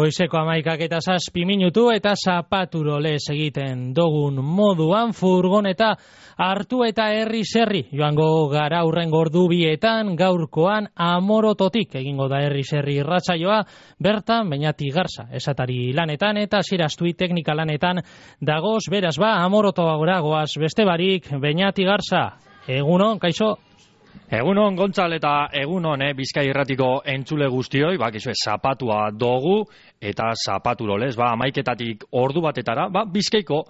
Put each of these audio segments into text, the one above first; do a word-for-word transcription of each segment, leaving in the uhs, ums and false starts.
Goizeko amaikak eta zazpi minutu eta zapaturo lez egiten dogun moduan furgoneta hartu eta herri serri. Joango gara hurrengo ordubietan gaurkoan Amorototik egingo da herri serri irratsaioa, bertan Beñati Garza esatari lanetan eta Zirastui teknika lanetan dagoz, beraz ba Amoroto goaz beste barik. Beñati Garza, egunon, kaixo? Egunon, Gontzal, eta egunon, eh, Bizkai Irratiko entzule guztioi, bakizue, zapatua dogu, eta zapaturo lez, ba, amaiketatik ordu batetara, ba, Bizkaiko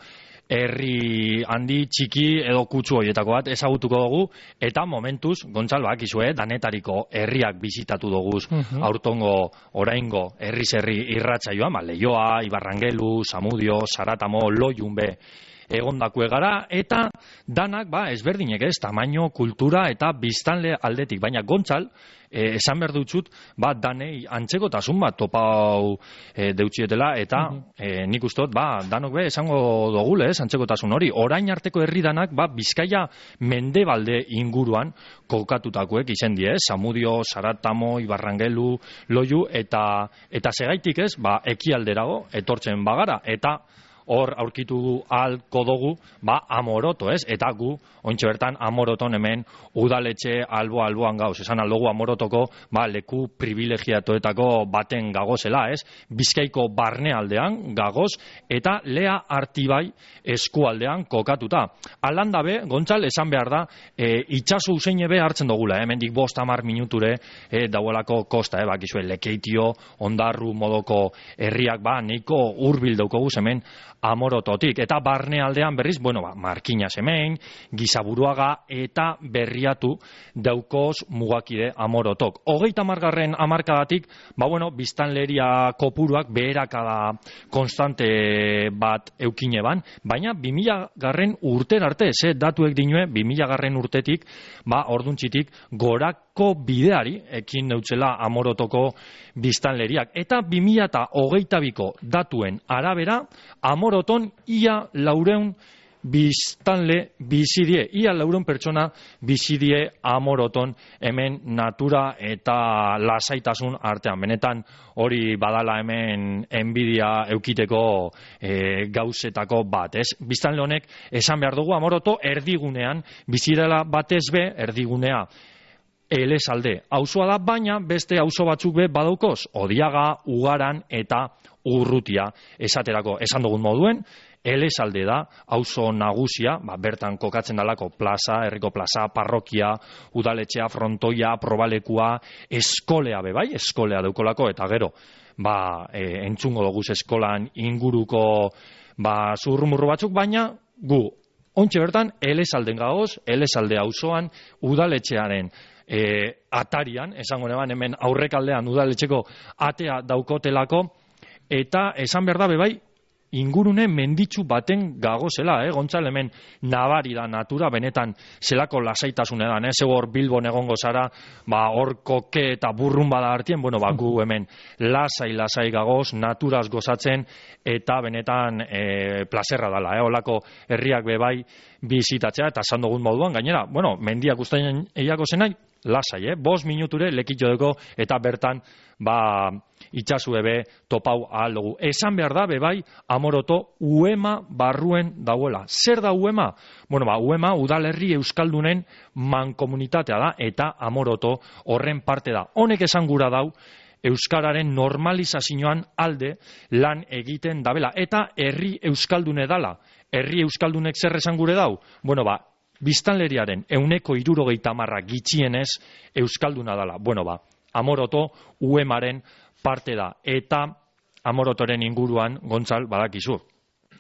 herri handi txiki edo kutsu horietako bat ezagutuko dugu, eta momentuz, Gontzal, bakizue, danetariko herriak bizitatu doguz, uh-huh. aurtongo, oraingo, herri-zerri irratsaioa, ba, Leioa, Ibarrangelu, Zamudio, Zaratamo, Loiunbe, egondakue gara, eta danak, ba, ezberdinek ez, tamaino, kultura eta biztanle aldetik, baina Gontzal, eh, esan behar dutzut, ba, danei antzekotasun bat topau eh, deutxietela, eta uh-huh. eh, nik ustot, ba, danok be, esango dogule, ez, antzekotasun hori, orain arteko herri danak, ba, Bizkaia mendebalde inguruan kokatutakoek izen die, ez, Zamudio, Zaratamo, Ibarrangelu, Loiu, eta, eta segaitik ez, ba, ekialderago, etortzen bagara, eta hor aurkitu ahalko dugu, ba, Amoroto, ez? Eta gu, ointxe bertan, Amoroton hemen udaletxe albo-alboan gauz. Esan aldugu Amorotoko, ba, leku privilegiatoetako baten gagozela, ez? Bizkaiko barnealdean gagoz, eta Lea Artibai eskualdean kokatuta. Alanda be, Gontzal, esan behar da, e, itxaso useine be hartzen dugula, eh? Hemendik bost hamar minuture e, dauelako kosta, eh? Bakizue, Lekeitio, Ondarru modoko herriak, ba, neiko hurbil daukogu hemen Amorototik, eta barnealdean berriz, bueno, ba, Markinas hemen, Gizaburuaga eta Berriatu daukoz mugakide Amorotok. Hogeita margarren amarkadatik, ba, bueno, biztanleria kopuruak beherakada konstante bat eukine ban, baina bi mila garren urten arte, ze datuek dinue, bi mila garren urtetik, ba, orduntzitik, gorako bideari ekin neutzela Amorotoko biztanleriak. Eta bi mila hogeita biko datuen arabera, Amoroton ia laureun biztanle bizidie, ia laureun pertsona bizidie Amoroton hemen natura eta lasaitasun artean. Benetan hori badala hemen enbidia eukiteko e, gauzetako bat, ez? Biztanle honek esan behar dugu Amoroto erdigunean bizidela batez be, erdigunea Elesalde auzoa da, baina beste auzo batzuk be badaukoz, Odiaga, Ugaran eta Urrutia esaterako esan dugun moduen, Elesalde da auzo nagusia, ba, bertan kokatzen dalako plaza, herriko plaza, parrokia, udaletxea, frontoia, probalekua, eskolea be bai, eskolea daukolako, eta gero, ba, e, entzungo dugu eskolan inguruko ba, zurrumurru batzuk, baina gu, ontxe bertan, Elesalden gagoz, Elesalde auzoan, udaletxearen E, atarian, esango neban hemen aurrekaldean udaletxeko atea daukotelako, eta esan behar da bebai ingurune menditsu baten gagozela, eh? Gontzal, hemen nabari da natura, benetan zelako lasaitasunean, eh? Zego hor Bilbon egongo zara, ba, hor koke eta burrun bada hartien, bueno, ba, gu hemen lasai-lasai gagoz, naturaz gozatzen, eta benetan e, plazerra dala, eh? Olako herriak bebai bizitatzea, eta esan dugun moduan, gainera, bueno, mendiak ustaien eiako zenai, lasai, eh? Bost minuture lekitxo duko, eta bertan, ba, itxasu ebe topau ahal dugu. Esan behar da, bebai, Amoroto uema barruen dauela. Zer da uema? Bueno, ba, uema udalerri euskaldunen mankomunitatea da, eta Amoroto horren parte da. Honek esan gura dau, euskararen normalizazioan alde lan egiten dabela. Eta herri euskaldune dala. Herri euskaldunek zer esan gure dau? Bueno, ba, biztanleriaren euneko hirurogeita hamarra gitxienez euskalduna dala. Bueno, ba, Amoroto uemaren parte da, eta Amorotoren inguruan, Gontzal, badakizu,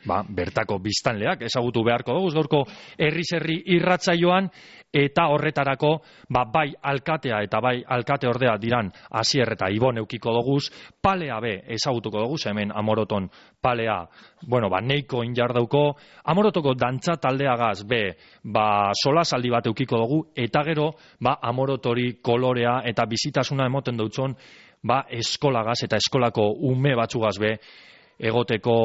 ba, bertako biztanleak ezagutu beharko dugu, gaurko herri-zerri irratsaioan, eta horretarako, ba, bai alkatea eta bai alkate ordea diran Asier eta Ibon eukiko doguz, palea be ezagutuko dugu, hemen Amoroton palea, bueno, ba, neiko injardauko, Amorotoko dantza taldeagaz be, ba, solasaldi bat eukiko dugu, eta gero, ba, Amorotori kolorea eta bizitasuna emoten dutzon, ba, eskolagaz eta eskolako ume batzugaz be, egoteko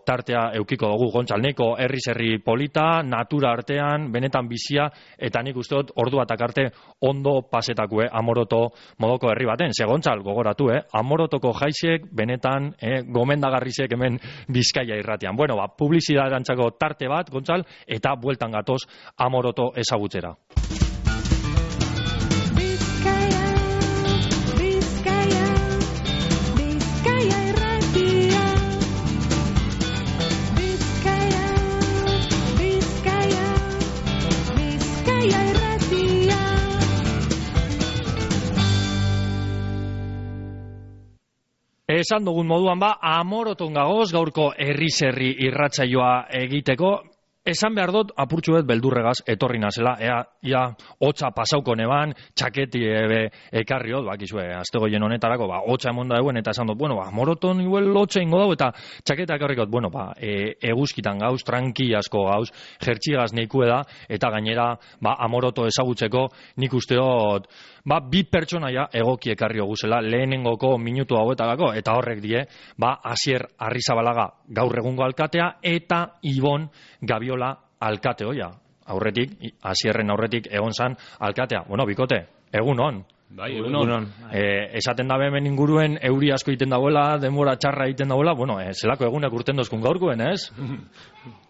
tartea eukiko dugu Gontzal, neko herri zerri polita, natura artean, benetan bizia, eta nik uste dut ordu batak arte ondo pasetakue Amoroto modoko herri baten. Ze Gontzal, gogoratu, eh? Amorotoko jaisek, benetan, eh, gomendagarrizek hemen Bizkaia irratian. Bueno, ba, publizidaderantzako tarte bat, Gontzal, eta bueltan gatoz Amoroto ezagutzera. Esan dugun moduan ba, Amoroton gagoz gaurko herri zerri irratsaioa egiteko. Esan behar dut, apurtxu bet beldurregaz etorri nazela, ea, ia, hotza pasauko neban, txaketi ebe ekarriot, bakizue, astegoien honetarako, ba, hotza emon da eguen, eta esan dut, bueno, ba, Amoroton igual hotza ingo dago, eta txaketa ekarrikot, bueno, ba, e, eguzkitan gauz, tranquiasko gauz, jertxigaz neikue da, eta gainera, ba, Amoroto ezagutzeko, nik usteot, ba, bi pertsonaia egoki ekarri guzela lehenengoko minutu hauetarako, eta horrek die, ba, Asier Arrizabalaga gaur egungo alkatea, eta Ibon Gabiola alkate hoia. Aurretik, Asierren aurretik egon zan alkatea. Bueno, bikote, egun on. Bai, egun on. E, esaten dabe hemen inguruen euri asko egiten dagoela, denbora txarra egiten dagoela, bueno, e, zelako egunak urten dozkun gaurkuen, ez?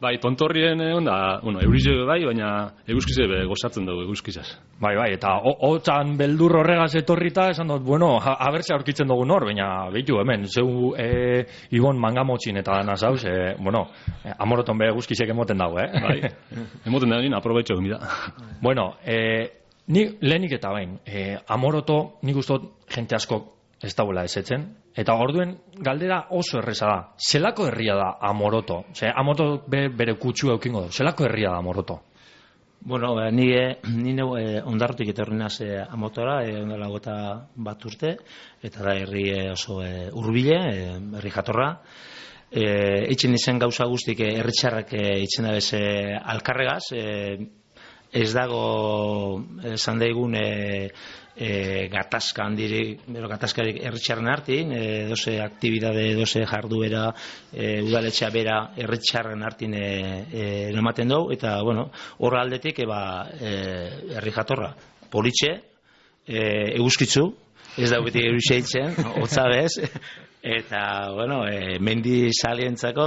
Bai, tontorrien egon da, bueno, eurize bai, baina eguzkize be gozatzen dugu eguzkizaz. Bai, bai, eta hotzan beldur horregaz etorrita, esan dut, bueno, abertze aurkitzen dugu nor, baina behitu hemen, zeu e, Ibon mangamotxin eta dana zauz, e, bueno, e, Amoroton be eguzkizek emoten dago, eh? Bai, emoten dago nien, aprobetxo egin da. Bueno, e, Ni lehenik eta bain, e, Amoroto nik ustot jente asko ez dagoela esetzen, eta orduen galdera oso erreza da. Zelako herria da Amoroto? Ze, Amoroto be, bere kutsu eukingo du. Zelako herria da Amoroto? Bueno, eh, ni, eh, ni neu eh, ondarrutik etorri naz eh, Amotora, eh, ondela gota bat urte, eta da herri eh, oso eh, urbile, eh, herri jatorra. Eh, Eitzen izen gauza guztik eh, herritxarrak eh, itzen da bez eh, alkarregaz, eh, ez dago esan daigun e, e, gatazka handirik, bero gatazkarik herritxarren hartin, e, doze aktibidade, doze jarduera, e, udaletxea bera herritxarren hartin e, e, ematen dugu, eta bueno, horra aldetik eba e, herri jatorra, politxe, e, eguzkitzu, ez da beti eruxe hitzen, hotza bez, eta, bueno, e, mendi salientzako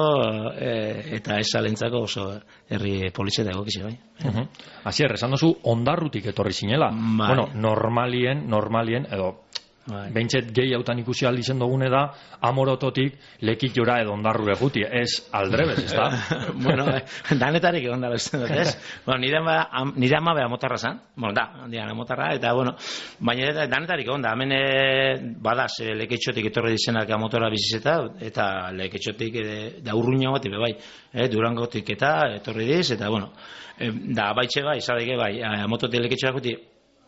e, eta ez salientzako oso herri politxe dago kize, bai. Uh-huh. Asier, esan dozu ondarrutik etorri zinela. Bai. Bueno, normalien, normalien, edo bai. Beintxet gehi hautan ikusi aldizen dugune da Amorototik lekitjora edo ondarrure juti, ez aldrebez, ez da? Bueno, danetarik egon dara uste dut, ez? Bueno, nire ama, am, nire ama beha motarra zan, bueno, da, diana motarra, eta, bueno, baina danetarik egon da, hemen e, badaz, e, leketxotik etorri dizenak Amotora bizizeta, eta leketxotik e, da urruina bat, bai, e, Durangotik eta etorri diz, eta, bueno, e, da, baitxe bai, izadeke bai, Amototik leketxoak guti,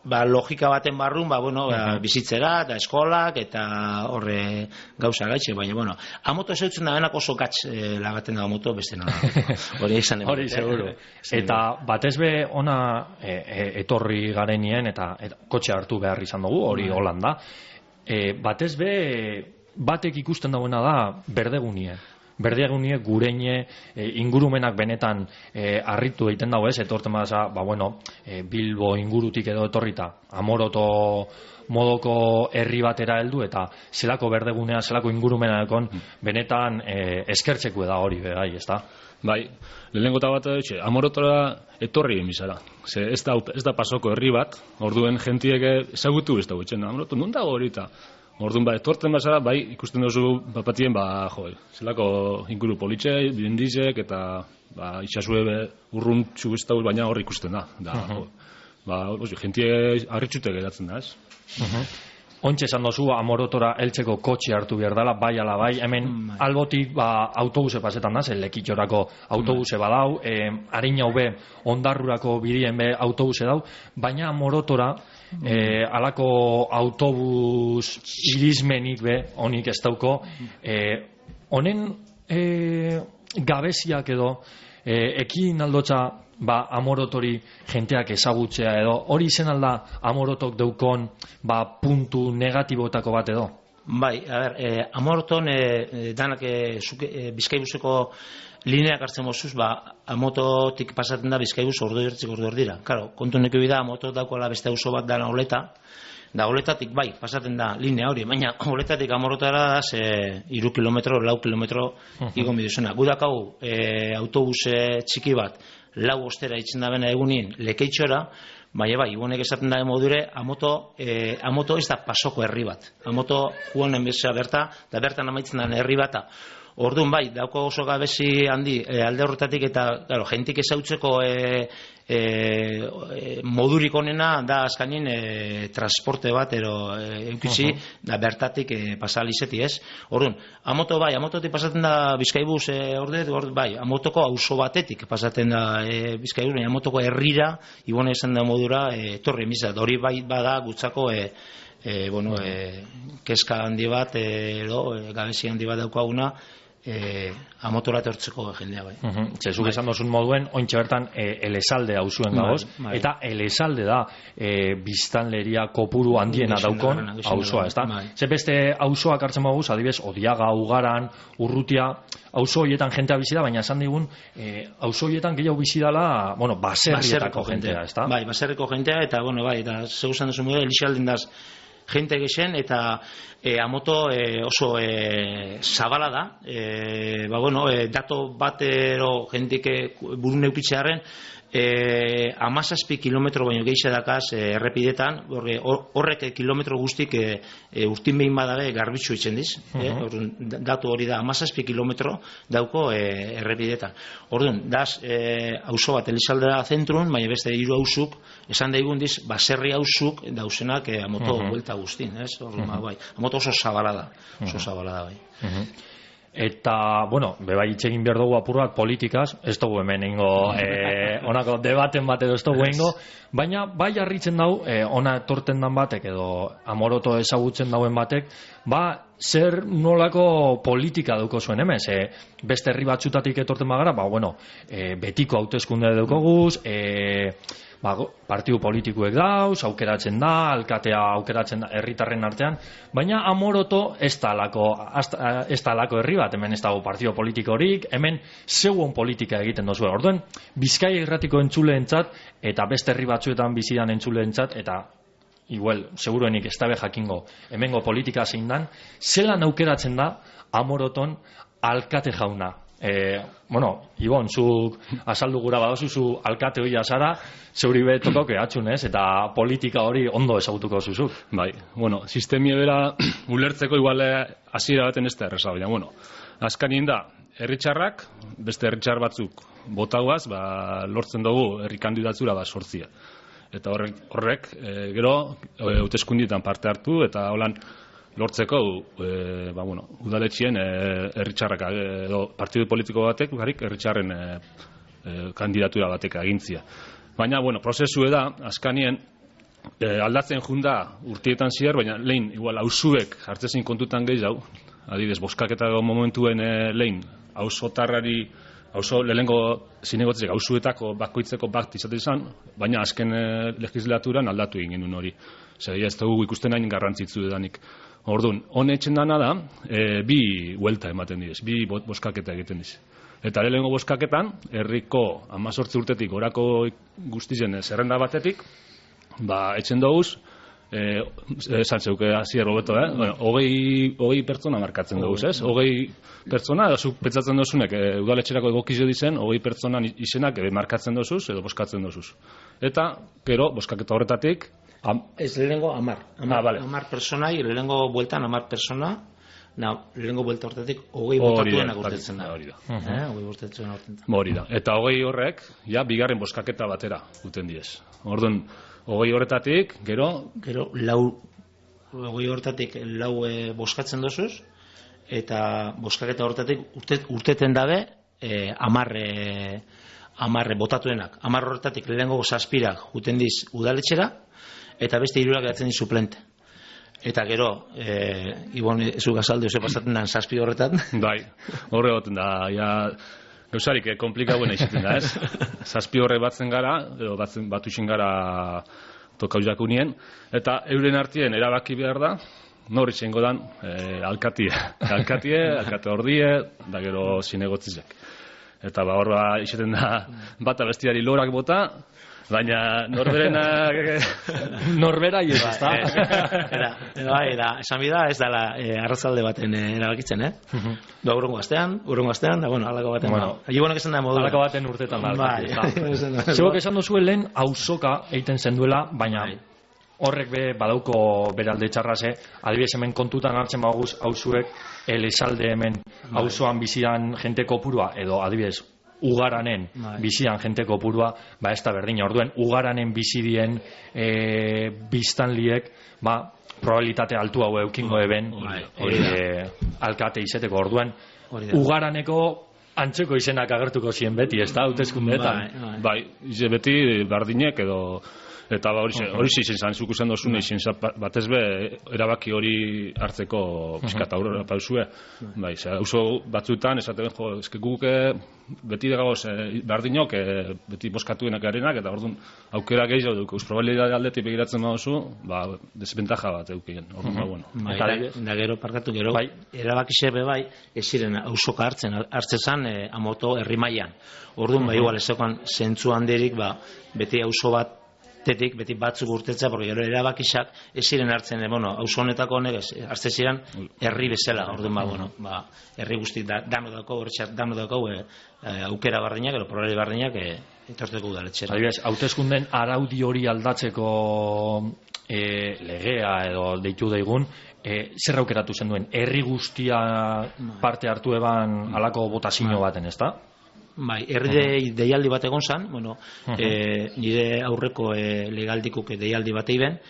ba, logika baten barrun, ba, bueno, ba, bizitzera, eta eskolak, eta horre gauza gaitxe, baina, bueno, Amoto zeutzen da benak oso gatz e, lagaten da Amoto, beste nola. Hori izan Hori, seguro. Eta batez be ona e, e, etorri garenien, eta, eta kotxe hartu behar izan dugu, hori Holanda. E, batez be batek ikusten dagoena da berdegunie. Berdegunie, gureine, e, ingurumenak benetan e, harritu egiten dago ez, etorten badaza, ba bueno, e, Bilbo ingurutik edo etorrita, Amoroto modoko herri batera heldu, eta zelako berdegunea, zelako ingurumenakon benetan e, eskertzeko da hori, bai, ez da? Bai, lehenengo eta bat edo, Amorotora etorri egin bizara. Ze ez da, ez da pasoko herri bat, orduen jentiek ezagutu ez da gutxen, Amoroto, non dago horita? Orduan, ba, etortzen bazara, bai, ikusten duzu bapatien, ba, jo, zelako inguru politxe, bidendizek, eta, ba, itxasue urrun txugiztauz, baina hor ikusten da. Da, uh-huh. jo, ba, ozi, jentie harritxute geratzen da, ez? Uh-huh. Ontxe esan dozu, Amorotora heltzeko kotxe hartu behar dela, bai ala bai, hemen mm, albotik, ba, autobuse pasetan da, zen lekitxorako autobuse badau, eh, harin hau be, ondarrurako bidien be autobuse dau, baina Amorotora, Eh, alako autobus irizmenik be, honik ez dauko, eh, honen eh, gabeziak edo eh, ekin aldotza ba, Amorotori jenteak ezagutzea edo, hori izen alda Amorotok deukon ba, puntu negatibotako bat edo? Bai, a ber, eh, Amoroton eh, danak eh, eh, Bizkaibuseko lineak hartzen mozuz, ba, Amototik pasatzen da Bizkaibus ordu ertzik ordu erdira. Claro, kontu neko bida, Amoto daukala beste auzo bat dana Oleta, da Oletatik bai, pasatzen da linea hori, baina Oletatik Amorotara da ze iru kilometro, lau kilometro igon biduzena. Gudakau e, autobuse txiki bat, lau ostera itzen da bena egunin Lekeitxora, baina bai, igunek esaten da modure, Amoto, e, Amoto ez da pasoko herri bat. Amoto juanen bezala berta, da bertan amaitzen da herri bata. Orduan bai, dauko oso gabezi handi e, alde horretatik eta claro, jentik ezautzeko e, e, e, modurik onena da azkanin e, transporte bat ero e, eukitzi uh -huh. da bertatik e, pasalizeti ez. Orduan, Amoto bai, Amototik pasaten da Bizkaibus e, orde, orde, bai, Amotoko auzo batetik pasaten da e, Bizkaibus, baina Amotoko herrira, ibone esan da modura, e, torri emizat, hori bai bada gutzako e, e, bueno, e, keska handi bat, e, edo, e, gabezi handi bat daukaguna, Eh, Amotora etortzeko jendea bai. Uh -huh. Zezuk esan dozun moduen, ointxe bertan e, Elesalde hauzuen gagoz, bai, eta Elesalde da e, biztanleria kopuru handiena daukon auzoa, ez da? Bai. Ze beste auzoak hartzen moguz, adibez, Odiaga, Ugaran, Urrutia, auzo horietan jentea bizi da, baina esan digun, e, auzo horietan gehiago bizi dala, bueno, baserrietako jentea, ez da? Bai, baserriko jentea, eta, bueno, bai, eta zeu esan duzun moduen, Elixalden daz, gente gexen eta e, Amoto e, oso e, zabala da e, ba bueno, e, dato batero jentik buru neukitzearen e, amazazpi kilometro baino gehiago dakaz e, errepidetan horrek kilometro guztik e, e, urtin behin badabe garbitzu itzen diz uh -huh. e, datu hori da amazazpi kilometro dauko e, errepidetan orduan, daz e, auzo bat Elizaldera zentrun, baina beste hiru auzuk esan daigun diz, baserri auzuk dauzenak e, Amoto uh -huh. buelta guztin ez? Orduan, uh -huh. bai. Amoto oso zabala da oso uh -huh. zabala da bai uh -huh. Eta, bueno, bebai itxegin behar dugu apur bat politikaz, ez dugu hemen ingo, e, onako debaten bat edo ez dugu ingo, baina bai harritzen dau, e, ona etorten dan batek edo Amoroto ezagutzen dauen batek, ba, zer nolako politika duko zuen hemen, ze beste herri batzutatik etorten bagara, ba, bueno, e, betiko hauteskunde dukoguz, e, ba, partidu politikuek dauz, aukeratzen da, alkatea aukeratzen da herritarren artean, baina Amoroto ez da alako, ez da alako herri bat, hemen ez dago partido politikorik, hemen zeuon politika egiten dozue. Orduan, Bizkaia irratiko entzuleentzat eta beste herri batzuetan bizidan entzuleentzat eta igual, seguruenik ez dabe jakingo hemengo politika zein dan, zelan aukeratzen da Amoroton alkate jauna. E, bueno, Ibon, zuk azaldu gura badozu, zu alkate hoia zara, zeuri betoko kehatxun, ez? Eta politika hori ondo ezagutuko zuzuk. Bai, bueno, sistemia bera ulertzeko igual hasiera baten ez da erresa, baina, bueno, azkanien da, herritxarrak, beste herritxar batzuk botauaz, ba, lortzen dugu herri kandidatura bat sortzia. Eta horrek, horrek e, gero, hauteskundietan parte hartu, eta holan, lortzeko e, ba, bueno, udaletxien herritxarrak e, edo partidu politiko batek barik herritxarren e, e, kandidatura batek agintzia. Baina, bueno, prozesu da, azkanien e, aldatzen junda urtietan zier, baina lehin, igual, auzuek hartzezin kontutan gehiago, adibidez, boskaketa momentuen e, lehin, auzotarrari, auzo lehengo zinegotzek, auzuetako bakoitzeko bat izaten izan, baina azken e, legislaturan aldatu egin genuen hori. Zer, ez dugu ikusten hain garrantzitzu edanik. Orduan, honetzen dana da, e, bi huelta ematen didez, bi boskaketa egiten diz. Eta lehengo boskaketan, herriko amazortzi urtetik orako guztizen zerrenda batetik, ba, etxen doguz, e, esan zeuke hasier hobeto, eh? Bueno, hogei, hogei pertsona markatzen doguz, ez? Hogei pertsona, edo zuk pentsatzen dozunek, e, udaletxerako egokizio dizen, hogei pertsonan izenak e, markatzen dozuz, edo boskatzen dozuz. Eta, gero, boskaketa horretatik, Am... Ez lehenengo amar. Amar, ah, vale. amar personai, lehenengo bueltan amar persona, na, lehenengo buelta horretik hogei botatuenak urtetzen da. Hori da. Eh, hogei urtetzen urtetzen da. Hori da. Eta hogei horrek, ja, bigarren boskaketa batera guten diez. Orduan, hogei horretatik, gero... Gero, lau, hogei horretatik lau e, boskatzen dozuz, eta boskaketa horretatik urtet, urteten dabe, e, amar... E, amarre botatuenak. Amar horretatik lehenengo zazpirak juten diz udaletxera, eta beste hirurak geratzen diz suplente. Eta gero, e, Ibon, ez gazalde, ose pasatzen da zazpi horretan. Bai, horre goten da, ja, gauzarik, eh, komplikauen eizaten da, ez? Zazpi horre batzen gara, edo batzen, batuxen gara tokauzak unien, eta euren artien erabaki behar da, nor itxengo dan, e, alkatie, alkatie, alkate ordie, da gero zinegotzizek. Eta ba, hor ba, izaten da, bata bestiari lorak bota, baina norberena norbera ez da. Era, bai, da, esan bida ez dela eh, arrazalde baten eh, erabakitzen, eh? Da urrengo astean, urrengo astean, da bueno, halako baten. Bueno, Ibonek esan da modu. Halako baten urtetan da. Bai. Zebok esan duzu lehen auzoka egiten zenduela, baina horrek be badauko beralde txarrase, adibidez hemen kontutan hartzen baguz auzuek Elizalde hemen auzoan bizian jente kopurua edo adibidez Ugaranen bizian jente kopurua, ba ez da berdina. Orduen Ugaranen bizidien e, biztanliek, ba probabilitate altu hau eukingo eben e, alkate izeteko. Orduen Ugaraneko antzeko izenak agertuko zien beti, ez da, hauteskundeetan. Bai, bai, beti berdinek edo eta ba hori hori izan zan zuk izan dozune izan batez be erabaki hori hartzeko pizkat aurrera pausue. Bai, oso batzuetan esaten jo, eske guk beti dagoz berdinok beti boskatuenak garenak eta ordun aukera gehiago dugu. Probabilitate aldetik begiratzen baduzu, ba desventaja bat edukigen. Orduan ba bueno. Bai, da gero parkatu gero bai, erabaki xebe bai, ez ziren auzoka hartzen hartzezan e, amoto herri mailan. Orduan ba igual ezekoan zentzu handirik ba beti auzo bat tetik beti batzuk urtetza, porque gero erabakisak ez ziren hartzen, e, bueno, auzo honetako honek hartzen ziren herri bezala. Orduan ba bueno, ba herri guzti da dano dauko, hortxat dano dauko e, aukera bardinak, edo probabilitate bardinak e, etorteko udaletxera. Adibidez, hauteskunden araudi hori aldatzeko e, legea edo deitu daigun, e, zer aukeratu zen duen? Herri guztia parte hartu eban halako botazio baten, ezta? Bai, herri deialdi bat egon zan, bueno, e, nire aurreko e, legaldikuk deialdi bat eiben,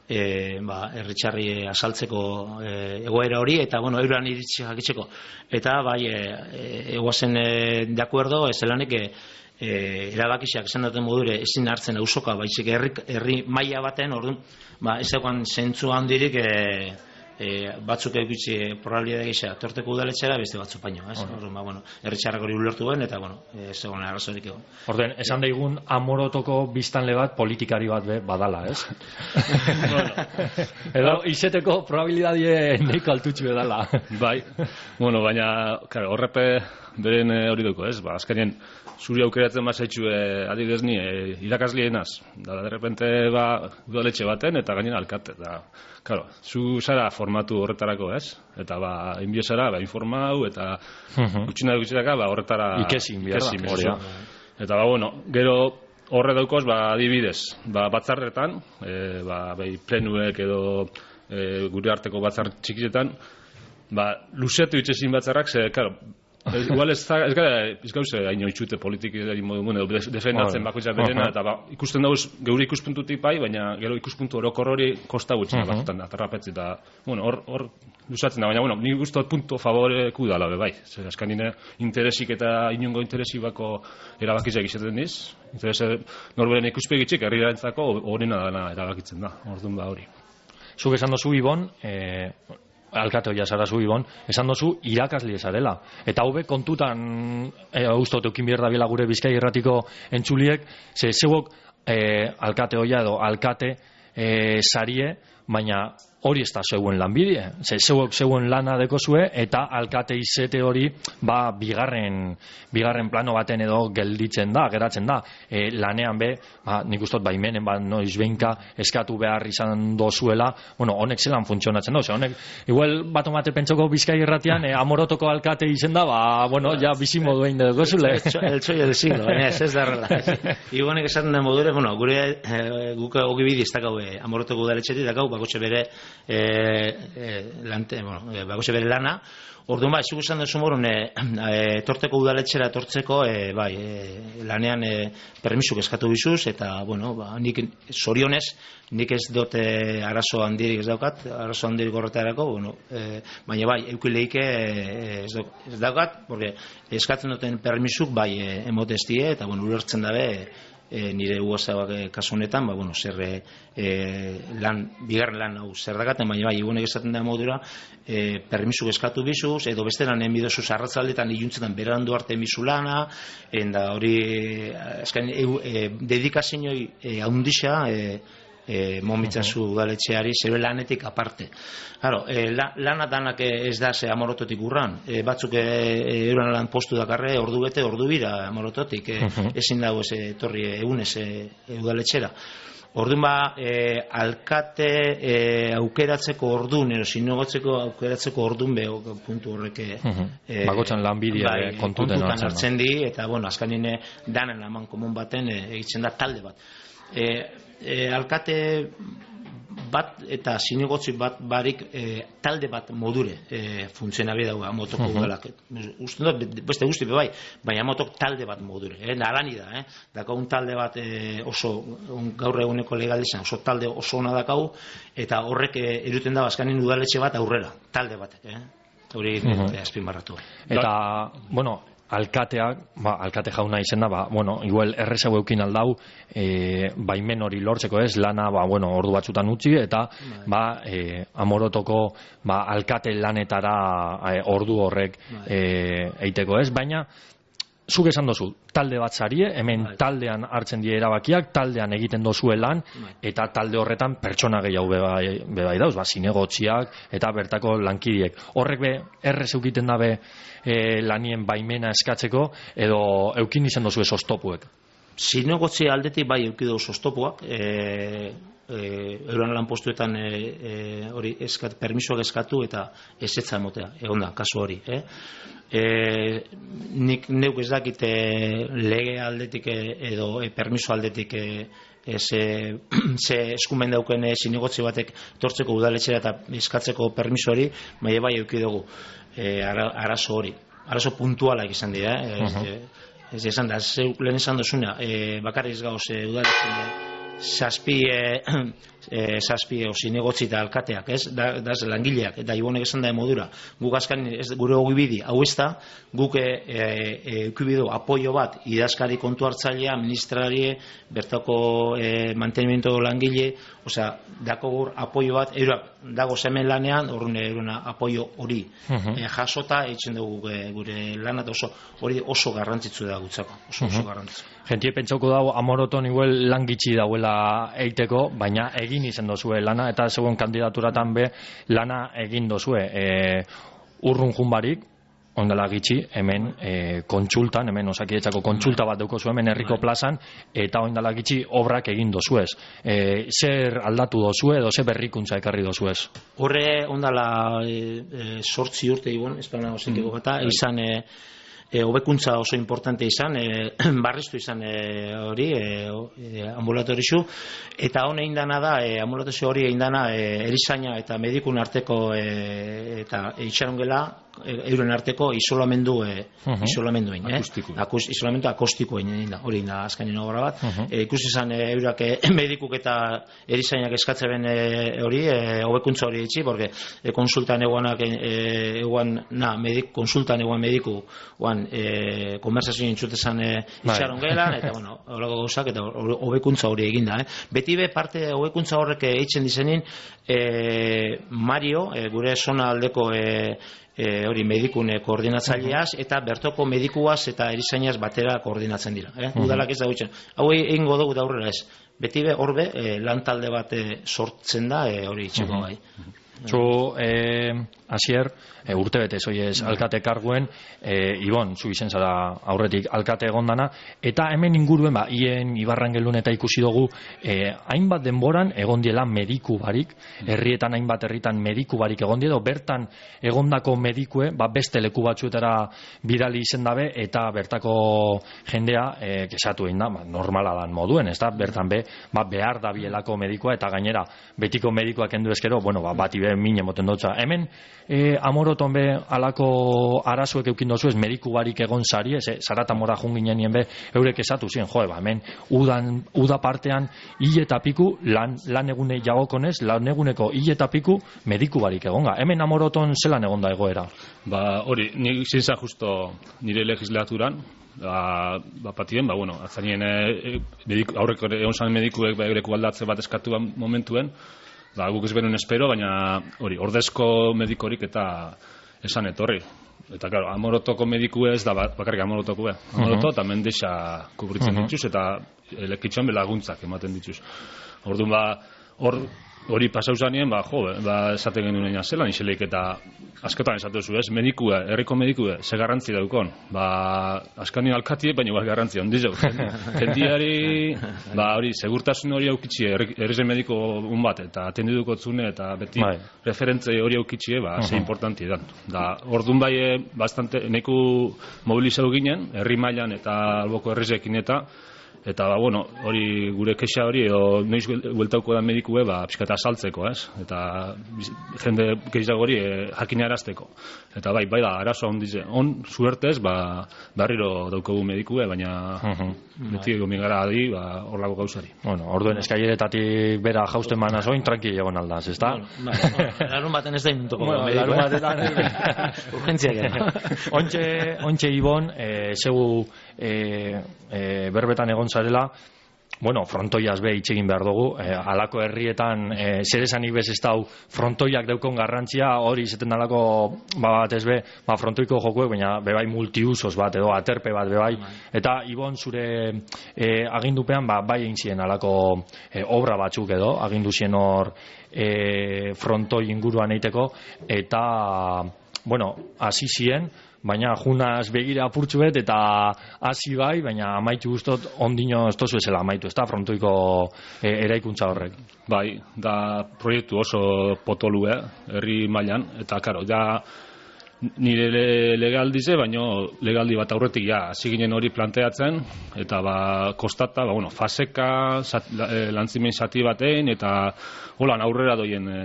e, ba, herritxarri asaltzeko e, egoera hori, eta, bueno, euran iritsi jakitzeko. Eta, bai, e, egoazen e, de acuerdo, ez zelanik, e, e, erabakisak esan daten modure ezin hartzen auzoka, baizik herri, herri maila baten, orduan, ba, ez egoan zentzu handirik, e, E, batzuk egitzi probabilitate gisa torteko udaletxera, beste batzuk paino, ez? Orduan, ba, bueno, herritxarrak hori ulertu ben, eta, bueno, ez egon arrazorik egon. Orduen, esan daigun Amorotoko biztanle bat politikari bat be, badala, ez? Bueno, edo, izeteko probabilidadie neiko altutxu edala. Bai, bueno, baina, claro, horrepe beren hori duko, ez? Ba, azkenien, zuri aukeratzen bazaitxu e, adibidez ni e, irakaslienaz, da, de repente, ba, udaletxe baten, eta gainen alkate, da, claro, zu zara formatu horretarako, ez? Eta ba, inbio zara, ba, informau, eta gutxina gutxinaka, ba, horretara ikesin, ikesin, hori. Eta ba, bueno, gero horre daukoz, ba, adibidez, ba, batzarretan, e, ba, bai, plenuek edo e, gure arteko batzar txikietan, ba, luzetu itxezin batzarrak, ze, claro, igual ez da, ez gara, ez gauze haino itxute politikari modu mune, defendatzen bakoitzak berena, eta ba, ikusten dauz geure ikuspuntutik bai, baina gero ikuspuntu orokor hori kosta gutxina batzutan atarrapetzi, eta, bueno, hor, hor luzatzen da, baina, bueno, nik guztot punto favoreku dala, be, bai, zer, askanine interesik eta inungo interesik bako erabakizak izaten diz, interese norberen ikuspegitxik herriarentzako horrena dana erabakitzen da, orduan ba hori. Zuk esan dozu, Ibon, eh, alkate hoia zara zu, Ibon, esan dozu irakasle zarela. Eta hau be, kontutan e, ustot eukin bierda bila gure Bizkai Irratiko entzuliek, ze zeuok e, alkate hoia edo alkate e, sarie, baina hori ez da zeuen lanbide. Ze zeuok zeuen lana dekozue, eta alkate izete hori, ba, bigarren, bigarren plano baten edo gelditzen da, geratzen da. E, lanean be, ba, nik ustot baimenen, ba, noiz behinka eskatu behar izan dozuela, bueno, honek zelan funtzionatzen dozu. Honek, igual, bat omate pentsoko Bizkai Irratian, e, Amorotoko alkate izen da, ba, bueno, ja, bizimo duen dugozule. El txoio del siglo, baina ez ez darrela. Igonek esaten den modure, bueno, gure, e, guk ogi bidi ez dakau, e, Amorotoko udaletxetik dakau, bakotxe bere, E, e, lante, bueno, e, bakotxe bere lana. Orduan bai, zuk esan duzu morun e, e, torteko udaletxera tortzeko e, bai, e, lanean e, permisuk eskatu bizuz, eta bueno, ba, nik zorionez nik ez dote arazo handirik ez daukat, arazo handirik horretarako, bueno, e, baina bai, eukileike e, ez, ez daukat, porque eskatzen duten permisuk bai e, emotestie, eta bueno, ulertzen dabe E, nire uazabak e, kasu honetan, ba, bueno, zer e, lan, bigarren lan hau zer dakaten, baina bai, egunek esaten da modura, e, permisuk eskatu bizuz, edo beste lan enbidozuz arratzaldetan iluntzetan berandu arte emizu lana, enda hori, eskan, e, e, dedikazinoi e, haundixa, e, e, momitzazu udaletxeari zebe lanetik aparte. Claro, e, la, lana danak ez da ze Amorototik urran, e, batzuk e, euran lan postu dakarre ordu bete, ordu bira Amorototik, e, ezin dago ez etorri egunez e, udaletxera. Orduan ba, e, alkate e, aukeratzeko ordun, ero sinagotzeko aukeratzeko ordun beho puntu horrek e, bakotzan lanbidea bai, kontuten hartzen di, eta bueno, azkanine danen aman komun baten e, egitzen da talde bat. E, e, alkate bat eta zinegotzi bat barik e, talde bat modure e, funtzionabi dago Amotoko udalak. Uste dut, beste guzti bai, baina Amotok talde bat modure. E, narani da, eh? Daka un talde bat e, oso, un, gaur eguneko legalizan, oso talde oso ona dakau, eta horrek e, eruten da bazkanin udaletxe bat aurrera, talde bat. Eh? Hori uh-huh. e, azpimarratu. Eta, bueno, alkateak, ba, alkate jauna izen da, ba, bueno, igual errezau eukin aldau, e, baimen hori lortzeko ez, lana, ba, bueno, ordu batzutan utzi, eta, ba, e, Amorotoko, ba, alkate lanetara e, ordu horrek e, eiteko ez, baina, zuk esan dozu, talde bat zarie, hemen taldean hartzen die erabakiak, taldean egiten dozue lan, eta talde horretan pertsona gehiago bebai, bebai dauz, ba, zinegotziak, eta bertako lankidiek. Horrek be, errez eukiten dabe e, lanien baimena eskatzeko, edo eukin izan dozu ez oztopuek? Zinegotzi aldetik bai eukidu oztopuak, e, e, euran lan postuetan e, e, hori eskat, permisoak eskatu eta ezetza emotea, egon da, kasu hori, eh? E, nik neuk ez dakit e, lege aldetik e, edo e, permiso aldetik e, e, ze, ze eskumen dauken e, zinegotzi batek tortzeko udaletxera eta eskatzeko permiso hori, bai bai euki dugu e, ara, arazo hori, arazo puntualak izan dira, eh? uh-huh. ez, ez esan da, ze, lehen esan dozuna, e, bakarriz gauz e, udaletxera zazpi e, e, zazpi o zinegotzi eta alkateak, ez? Da, da langileak, eta ibonek esan da modura. Guk azkan, ez, gure ogibidi, hau ez da, guk eukibidu e, apoio bat, idazkari kontu hartzailea, ministrarie, bertako e, mantenimiento langile, osea, dako gur apoio bat, eura, dago zemen lanean, horren eurena apoio hori uh-huh. e, jasota, eitzen dugu e, gure lanat oso, hori oso garrantzitsu da gutzako, oso, uh-huh. oso garrantzitsu. Gentie pentsauko dago Amoroton igual lan gitxi dauela eiteko, baina egin izan dozue lana, eta zegoen kandidaturatan be lana egin dozue. E, urrun junbarik, ondela gitxi, hemen e, kontsultan, hemen Osakidetzako kontsulta bat dauko zuen, hemen herriko plazan, eta ondela gitxi obrak egin dozuez. E, zer aldatu dozue, edo zer berrikuntza ekarri dozuez? Horre ondala e, e, sortzi urte ibon, espana osikiko gata, mm. izan... E, E, hobekuntza oso importante izan, e, barriztu izan e, hori, e, e, ambulatorizu, eta hone indana da, e, ambulatorizu hori indana e, erizaina eta medikun arteko e, eta itxarongela, e, euren arteko isolamendu e, uh-huh. isolamenduen, eh? Akus, isolamendu akostikoen da, hori da azkainen obra bat. Uh-huh. E, ikusi izan e, eurak e, medikuk eta erizainak eskatzeben e, hori, e, hobekuntza hori itxi, porque e, konsultan eguanak, e, eguan, na, medik, konsultan eguan mediku, oan, E, konversazio intzutezan e, itxaron gelan, eta bueno, horreko gauzak, eta hobekuntza hori eginda. Eh? Beti be, parte hobekuntza horrek eitzen dizenin, e, Mario, e, gure zona aldeko e, e, hori medikune koordinatzaileaz, eta bertoko medikuaz eta erizainaz batera koordinatzen dira. Eh? Udalak ez da gutxen. Hau egingo dugu da aurrera ez. Beti be, horbe, e, lan talde bat e, sortzen da, e, hori itxeko bai. Zu, eh, Asier, e, urte bete zoiez alkate karguen, e, Ibon, zu izen zara aurretik alkate egondana, eta hemen inguruen, ba, hien Ibarrangelun eta ikusi dugu, e, hainbat denboran egondiela mediku barik, herrietan hainbat herritan mediku barik egondiela, bertan egondako medikue, ba, beste leku batzuetara bidali izen dabe, eta bertako jendea, e, kesatu egin da, ba, normala dan moduen, ez da, bertan be, ba, behar da bielako medikua, eta gainera, betiko medikoak endu ezkero, bueno, ba, bati be, mine moten dutza. Hemen, e, Amoroton be, alako arazuek eukin dozu ez, mediku barik egon zari, ez, zarata mora junginen nien be, eurek esatu ziren, joe, ba, hemen, udan, uda partean, hil eta piku, lan, lan egune jagokonez, lan eguneko hil eta piku, mediku barik egonga. Hemen Amoroton zelan egonda egoera? Ba, hori, nik zinza justo nire legislaturan, ba, ba patien, ba, bueno, azanien e, mediku, aurreko egon zan medikuek ba, eureko aldatze bat eskatu momentuen, ba, guk ez benuen espero, baina hori, ordezko medikorik eta esan etorri. Eta, claro, Amorotoko mediku ez da bakarrik Amorotoko, Amoroto uh-huh. eta mendexa kubritzen uh-huh. dituz, eta lekitxoan belaguntzak ematen dituz. Orduan ba, hor hori pasau zanien, ba, jo, ba, esaten genuen zelan izelik, eta askotan esatu zu, ez, medikue, herriko medikue, ze garrantzi daukon, ba, askanio alkatie, baina igual garrantzi ondizu. Jendiari, ba, hori, segurtasun hori aukitxie, errezen mediko un bat, eta atendiduko zune, eta beti bai. referentze hori aukitxie, ba, uh-huh. ze importanti dan. Da, orduan bai, bastante, neku mobilizau ginen, herri mailan eta alboko herrizekin eta, eta, ba, bueno, hori gure kexa hori, edo noiz gueltauko da medikue, ba, pixkata saltzeko, ez? Eta jende gehiago hori e, jakinarazteko. Eta bai, bai da, arazoa ondize. On, suertez, ba, barriro daukogu medikue, baina uh-huh. beti ego migara adi, ba, horlako gauzari. Bueno, orduen eskaileretatik bera jausten manaz oin, tranquil egon aldaz, ez da? Bueno, larun baten ez da inuntuko. Bueno, larun batetan. Urgentziak era. Ontxe, ontxe Ibon, e, zeu e, e, berbetan egon zarela, bueno, frontoiaz be itxegin behar dugu, e, alako herrietan e, zer esanik bez ez dau frontoiak daukon garrantzia, hori izaten dalako ba, bat ez be, ba, frontoiko jokuek, baina bebai multiusos bat, edo aterpe bat bebai, eta Ibon zure e, agindupean, ba, bai egin ziren alako e, obra batzuk edo, agindu zien hor e, frontoi inguruan eiteko, eta, bueno, hasi ziren, baina junaz begira apurtzu bet, eta hasi bai, baina amaitu guztot ondino ez tozu ezela amaitu, ez da frontoiko e, eraikuntza horrek. Bai, da proiektu oso potolue, herri mailan, eta karo, da nire le, legaldize, baina legaldi bat aurretik ja, hasi ginen hori planteatzen, eta ba, kostata, ba, bueno, faseka, zat, e, lantzimen zati batein, eta holan aurrera doien e,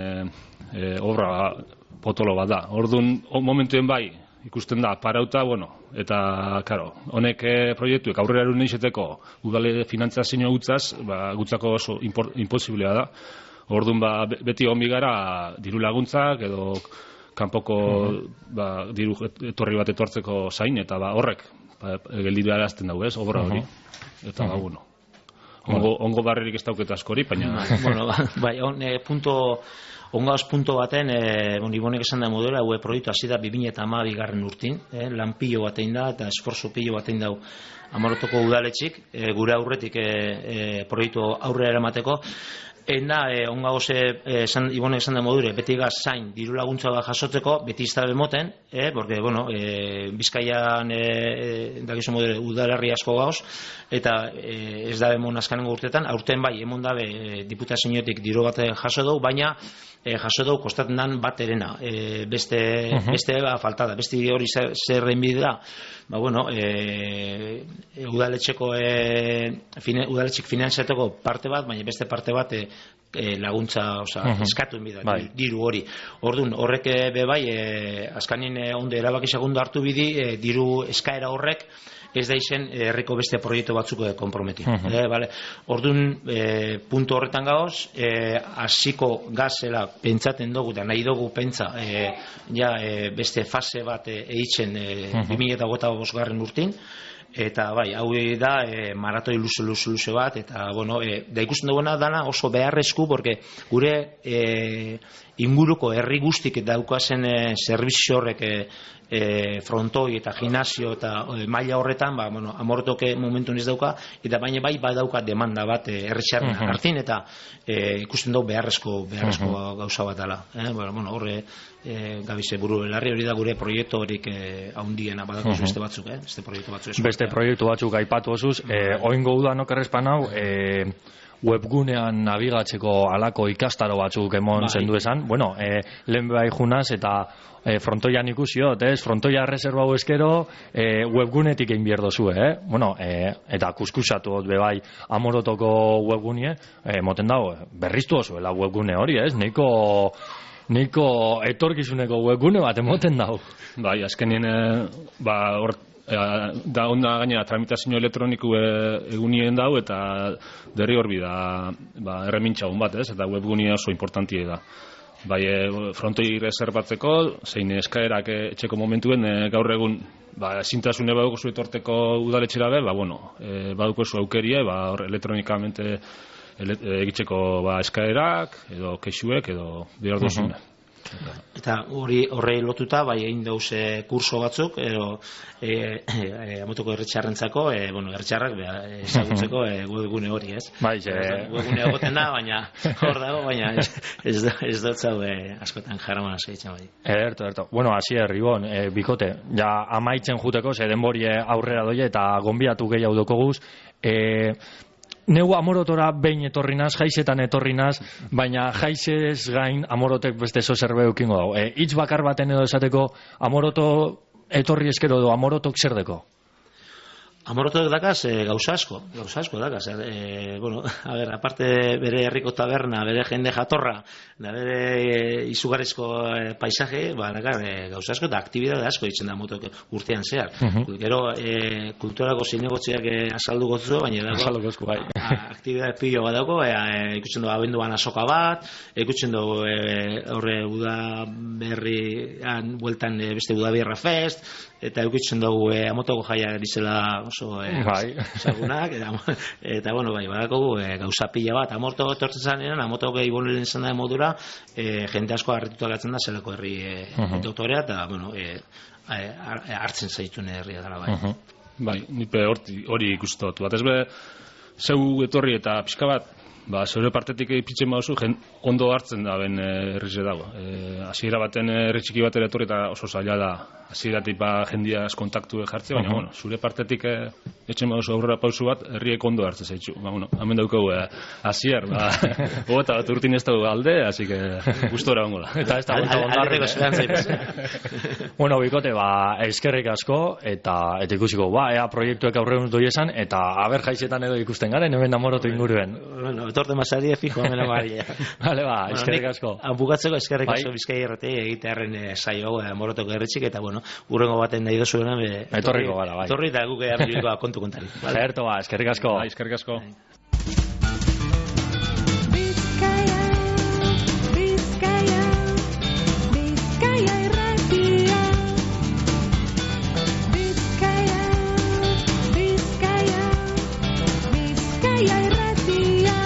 e, obra potolo bat da. Orduan, momentuen bai, ikusten da, parauta, bueno, eta, karo, honek e, proiektuek aurrera erun izeteko udale finantzazio gutzaz, ba, gutzako oso impor, imposiblea da. Orduan, ba, beti hon bigara diru laguntzak, edo kanpoko uh-huh. ba, diru etorri bat etortzeko zain, eta ba, horrek, ba, geldiru arazten dugu, ez, obra hori. Uh-huh. Eta, uh-huh. ba, bueno, ongo, ongo barrerik ez dauket askori, baina... bueno, bai, on, e, punto... Ongauz punto baten, e, bon, Ibonek esan da modela, hue proiektu hasi da bi mila hamabi garren urtin, e, lan pilo batein da, eta esforzo pilo batein dau Amorotoko udaletxik, e, gure aurretik e, e, proiektu aurrera eramateko, Enda, eh, ongagoz, eh, Ibonek esan da modure, beti gaz zain diru laguntza bat jasotzeko, beti iztabe moten, eh, porque, bueno, eh, Bizkaian, eh, dakizu modure, udalerri asko gauz, eta eh, ez dabe mon azkanengo urtetan, aurten bai, emon dabe eh, diputazioetik diru bat jaso dugu, baina eh, jaso dugu kostaten dan bat erena, eh, beste, uh-huh. beste ba, falta da, beste hori zerren bide da, ba, bueno, eh, udaletxeko, eh, fine, udaletxik finanziateko parte bat, baina beste parte bat, eh, E, laguntza, oza, uh-huh. eskatu enbida, bai. diru hori. Orduan, horrek be bai, e, azkanin e, onde erabaki segundo hartu bidi, e, diru eskaera horrek, ez da izen herriko beste proiektu batzuk konprometi. Uh-huh. E, vale. Orduan, e, puntu horretan gaoz, e, hasiko gazela pentsaten dugu, eta nahi dugu pentsa, e, ja, e, beste fase bat e, eitzen e, uh-huh. bi mila hogeita bost garren urtin, eta bai, hau da e, maratoi luze luze luze bat, eta bueno, e, da ikusten duguna dana oso beharrezku, porque gure e, inguruko herri guztik daukazen e, zerbizio horrek e, e, frontoi eta gimnasio eta e, maila horretan, ba, bueno, Amorotoke momentu ez dauka, eta baina bai badauka demanda bat e, herritxarren uh-huh. hartin, eta e, ikusten dugu beharrezko, beharrezko uh-huh. gauza bat dela. Eh? Bueno, horre e, gabize buru belarri hori da gure proiektu horik e, haundiena badako uh-huh. beste batzuk, eh? beste proiektu batzuk. Beste proiektu batzuk aipatu osuz, e, oingo udanok errespan hau, e, webgunean nabigatzeko alako ikastaro batzuk emon bai. Zendu esan, bueno, e, lehen bai junaz eta e, frontoian ikusiot, ez? Frontoia reserva hau eskero e, webgunetik egin bierdo zu, eh? Bueno, e, eta kuskusatu hot bebai Amorotoko webgunie, e, moten dago, berriztu oso, webgune hori, ez? Neiko Neiko etorkizuneko webgune bat emoten dago. Bai, azkenien, e, ba, hor da onda gainera tramitazio elektroniku egunien dau eta derri horbi da ba, erremintxagun bat, ez? Eta webgunia oso importantie da. Bai, e, frontoi reservatzeko, zein eskaerak etxeko momentuen e, gaur egun ba, ezintasune baduko zu etorteko udaletxera be, ba, bueno, e, baduko zu aukerie, ba, hor elektronikamente ele, e, egitzeko ba, eskaerak, edo kexuek, edo behar duzune. Uh-huh. Eta hori horrei lotuta, bai egin dauz e, kurso batzuk, ero e, e, amotoko erretxarrentzako, e, bueno, erretxarrak ezagutzeko e, webgune hori, ez? Bai, ze... Webgune egoten da, baina hor dago, baina ez, ez, ez dut zau e, askotan jaraman segitzen bai. Ederto, ederto. Bueno, Asier, Ibon, e, bikote, ja amaitzen juteko, ze denbori aurrera doie eta gonbiatu gehiago dokoguz, e, neu amorotora behin etorri naz, jaizetan etorri naz, baina jaizez gain amorotek beste zo zerbait ukingo dago. E, hitz bakar baten edo esateko amoroto etorri eskero edo amorotok zer deko? Amorotok dakaz e, gauza asko, gauza asko dakaz. E, bueno, a ver, aparte bere herriko taberna, bere jende jatorra, da bere e, izugarrizko e, paisaje, ba, dakar, e, gauza asko eta aktibidade asko ditzen da motok urtean zehar. Uh-huh. Gero, e, kulturako zinegotziak e, azaldu gotzu, baina dago, bai. aktibidade pilo bat dago, e, e, ikutzen dugu abenduan azoka bat, ikutzen dugu e, horre Uda berrian, bueltan e, beste Uda Bierra Fest, eta ikutzen dugu e, amotoko jaia dizela oso eh, bai. Zagunak, eta, eta bueno, bai, badakogu e, gauza pila bat, amorto etortzen zanean, amotoko ibonen izan da modura, e, jende asko harrituta gatzen da, zelako herri e, uh-huh. doktorea, eta, bueno, e, e, hartzen zaitune herria dara, bai. Uh-huh. Bai, nipe hori ikustot, bat ez be, zeu etorri eta pixka bat, ba, zeure partetik ipitzen bauzu, ondo hartzen da ben herrize dago. E, hasiera baten herri txiki bat ere etorri eta oso zaila da, hasieratik ba jendiaz kontaktu jartze, baina, uh-huh. bueno, zure partetik e, etxen bauzu aurrera pausu bat, herriek ondo hartzen zaitzu. Ba, bueno, hemen daukagu, e, Asier, ba, eta bat urtin ez dago alde, así que gustora ongo da. Eta ez da gusta ondarrik. Bueno, bikote, ba, eskerrik asko, eta eta ikusiko, ba, ea proiektuek aurreun doi esan, eta aber jaizetan edo ikusten garen, hemen amorotu inguruen. Bueno, etorte masarie fijo hemen amaria. Vale, ba, eskerrik asko. Bukatzeko eskerrik asko Bizkai Irrati egitearren saio hau amorotoko herritzik, eta bueno, urrengo baten nahi dozuena be etorriko gara, bai. Etorri eta guk abilikoa kontu kontari. Vale, Erto, ba, eskerrik asko. Bai, eskerrik asko. Bizkaia, Bizkaia, Bizkaia Irratia. Bizkaia, Bizkaia, Bizkaia Irratia.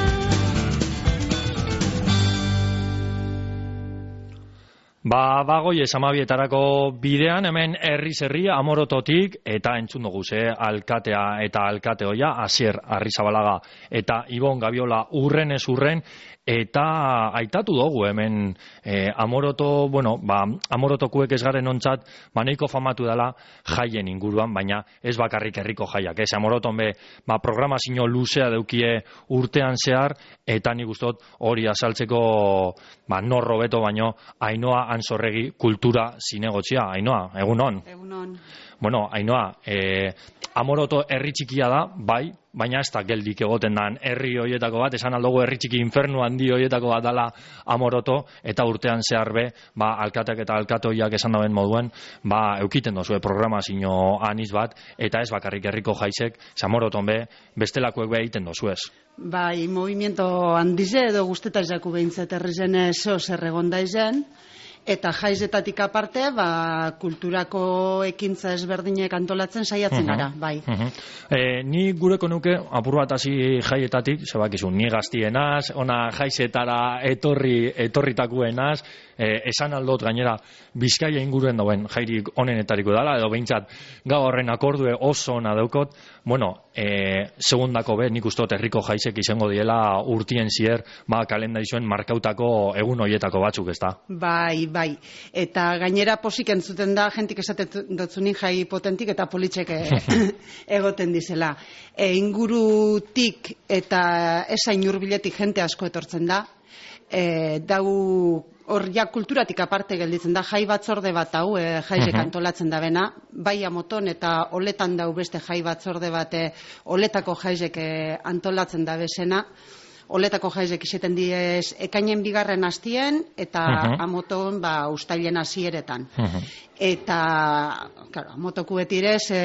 Ba, bagoi esamabietarako bidean, hemen herri zerri amorototik, eta entzun dugu ze, alkatea eta alkate hoia, Asier Arrizabalaga eta Ibon Gabiola urren ez urren, eta aitatu dugu hemen e, amoroto, bueno, ba, amorotokuek ez garen ontzat, ba, nahiko famatu dela jaien inguruan, baina ez bakarrik herriko jaiak, ez amoroton be, ba, programazio luzea deukie urtean zehar, eta nik ustot hori azaltzeko, ba, norro beto baino, Ainoa Anzorregi kultura zinegotzia. Ainoa, egunon? Egunon. Bueno, Ainoa, e, amoroto herri txikia da, bai, baina ez da geldik egoten dan herri hoietako bat, esan aldogu herri txiki infernu handi hoietako bat dala amoroto, eta urtean zehar be, ba, alkateak eta alkatoiak esan daben moduen, ba, eukiten dozue programazio aniz bat, eta ez bakarrik herriko jaizek, amoroton be, bestelakoek be egiten dozuez. Bai, movimiento handize edo guzteta izaku behintzat herrizen zeo zer egon daizen, eta jaizetatik aparte, ba, kulturako ekintza ezberdinek antolatzen saiatzen gara, uh-huh. bai. Uh-huh. E, ni gureko nuke, apur bat hasi jaietatik, zebakizu, ni gaztienaz, ona jaizetara etorri, etorritakuenaz, e, esan aldot gainera, Bizkaia inguruen dauen jairik onenetariko dala, edo behintzat gau horren akordue oso ona daukot, bueno, e, segundako be, nik ustot herriko jaizek izango diela urtien zier, ba, kalendarizuen markautako egun hoietako batzuk, ez da? Bai, bai, eta gainera posik entzuten da, jentik esaten dotzunin jai potentik eta politxek egoten dizela. E, ingurutik eta esain hurbiletik jente asko etortzen da, e, dau hor ja kulturatik aparte gelditzen da, jai batzorde bat hau, e, jaizek antolatzen da bena, bai amoton eta oletan dau beste jai batzorde bat, e, oletako jaizek e, antolatzen da bezena, oletako jaizek izeten diez ekainen bigarren hastien, eta uh-huh. amoton ba, ustailen hasieretan. Uh-huh. Eta, claro, amotoku betirez e,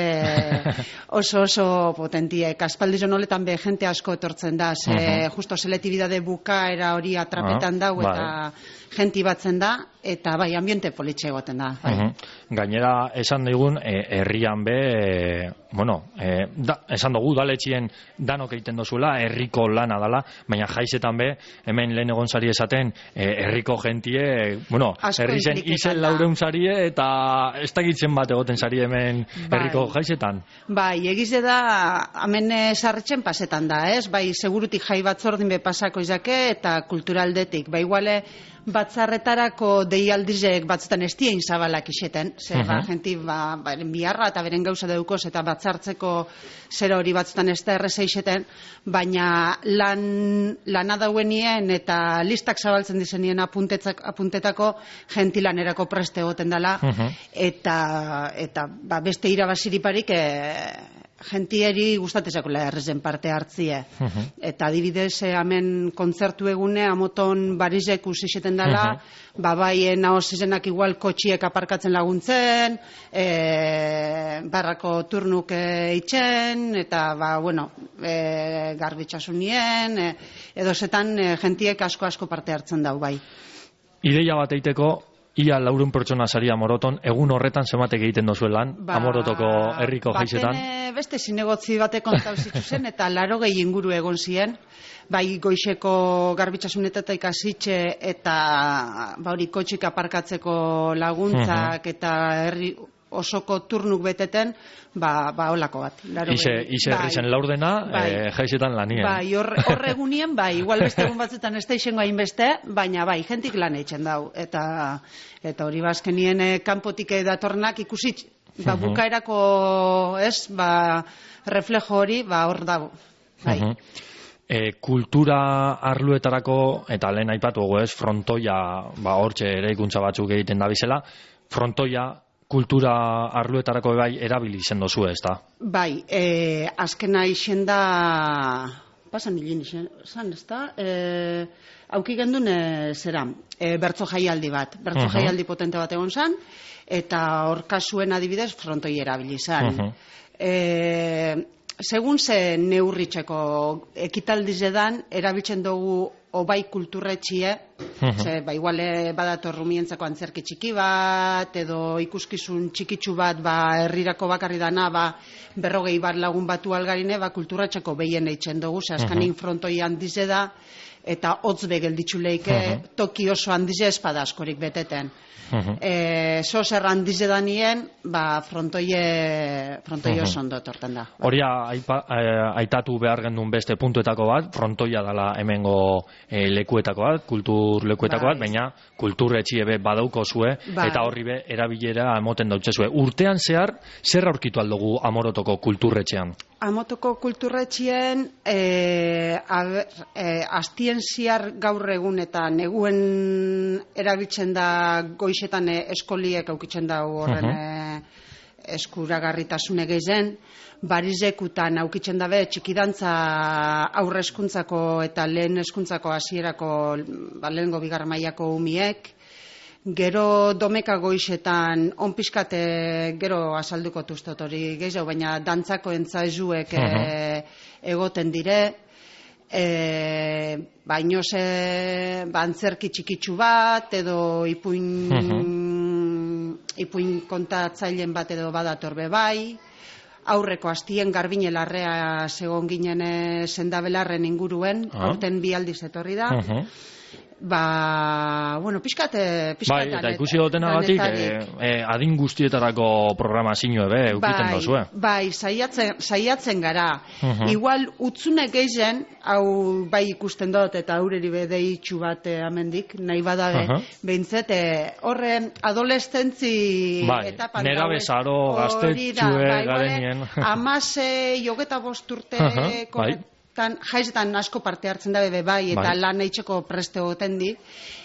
oso oso potentiek. Aspaldizon holetan be jente asko etortzen da, ze, uh-huh. justo seletibidade bukaera hori atrapetan uh-huh. dau, eta uh-huh. jenti batzen da, eta bai, ambiente politxe egoten da. Bai. Mhm. Gainera, esan digun, e, herrian be, e, bueno, e, da, esan dugu, udaletxien danok egiten dozuela, herriko lana dala, baina jaizetan be, hemen lehen egon zari esaten, e, herriko jentie, e, bueno, Asko herri zen inpliketan izen da. laureun zarie, eta ez dakitzen bat egoten zari hemen Bai. herriko jaizetan. Bai, egize da, hemen eh, sarretzen pasetan da, ez? Bai, segurutik jai batzordin be pasako izake, eta kulturaldetik. Bai, iguale, batzarretarako deialdizek batzutan ez dien zabalak iseten, zer, ba, Mhm. jenti, ba, beren biharra eta beren gauza deukoz, eta batzartzeko zera hori batzutan ez da erreza iseten, baina lan, lana dauenien eta listak zabaltzen dizenien apuntetzak, apuntetako gentilanerako preste egoten dela, Mhm. eta, eta ba, beste irabaziriparik e, gentieri gustatezakula errezen parte hartzie. Mhm. Eta adibidez, eh, hemen kontzertu egune, amoton barizek usixeten dela, ba bai, nahoz izenak igual kotxiek aparkatzen laguntzen, e, barrako turnuk e, itxen, eta ba, bueno, e, garbitxasunien, e, edo zetan e, gentiek asko-asko parte hartzen dau, bai. Ideia bat eiteko, ia laurun pertsona saria Amoroton, egun horretan zematek egiten dozuen lan, Amorotoko herriko jaizetan. Baten eh, beste zinegotzi batek kontau zituzen, eta laro gehi inguru egon ziren, bai goixeko garbitxasuneteta ikasitxe, eta ba hori kotxik aparkatzeko laguntzak, eta herri osoko turnuk beteten, ba, ba holako bat. Laro Ize, gehi. ize herri zen laurdena, bai. e, jaizetan lanien. Bai, hor, hor egunien, bai, igual beste egun batzutan ez da izengo hainbeste, baina bai, jentik lan eitzen dau, eta eta hori bazkenien eh, kanpotik datornak ikusitz, ba, Mhm. bukaerako, ez, ba, reflejo hori, ba, hor dago, bai. Mhm. E, kultura arluetarako, eta lehen aipatu dugu ez, frontoia, ba, hortxe eraikuntza batzuk egiten da bizela, frontoia kultura arluetarako bai erabili izen dozu ez da. Bai, eh, azkena izen da, pasan hilin izen, zan, ez da, eh, auki gendun e, zera, e, bertso jaialdi bat, bertso Mhm. jaialdi potente bat egon zan, eta hor kasuen adibidez frontoi erabili zan. Mhm. E, segun ze neurritxeko ekitaldizedan erabiltzen dugu obai kulturretxie, Mhm. ze, ba, iguale badator rumientzako antzerki txiki bat, edo ikuskizun txikitsu bat, ba, herrirako bakarri dana, ba, berrogei bat lagun batu algarine, ba, kulturretxeko behien eitzen dugu, ze azkanin frontoi handize da, eta hotz begelditzu leike, toki oso handize espada askorik beteten. Mhm. E, Zozer handize danien, ba, frontoie, frontoie oso ondo tortan da. Hori aipa, eh, aitatu behar gendun beste puntuetako bat, frontoia dela hemengo eh, lekuetako bat, kultur lekuetako bat, Bai. baina kultur etxie be badauko zue, Bai. eta horri be erabilera emoten dautze zue. Urtean zehar, zer aurkitu aldugu Amorotoko kulturretxean? Amotoko kulturretxien e, aber, e, astien ziar gaur egun eta neguen erabiltzen da goixetan e, eskoliek aukitzen da horren Mhm. e, eskuragarritasune gehien, barizekutan aukitzen dabe txikidantza aurre hezkuntzako eta lehen hezkuntzako hasierako ba, lehengo bigarren mailako umiek, gero domeka goixetan on pixkate gero azalduko tuztot hori gehiago, baina dantzako entzaizuek e, egoten dire, e, baino ze ba, antzerki txikitsu bat, edo ipuin, ipuin kontatzailen bat edo badator be bai, aurreko astien garbine larrea segon ginen e, sendabelarren inguruen, Ah. aurten bi aldiz etorri da, Mhm. Ba, bueno, pixkate, pixkate. Bai, eta ikusi dutenagatik, eh, eh, adin guztietarako programazio ebe, eukiten bai, dozue. bai, saiatzen, saiatzen gara. Mhm. Igual, utzune gehien, hau bai ikusten dut, eta aurreri bedeitxu bat eh, amendik, nahi badabe, Aha. behintzet, eh, horren adolescentzi Bai, etapan nerabezaro, gaude. gaztetxue Hori da, bai, garenien. igual, Amase, jogeta bosturte, Aha, bai. tan, jaizetan asko parte hartzen da bebe bai, eta Bai. lan eitzeko preste goten di,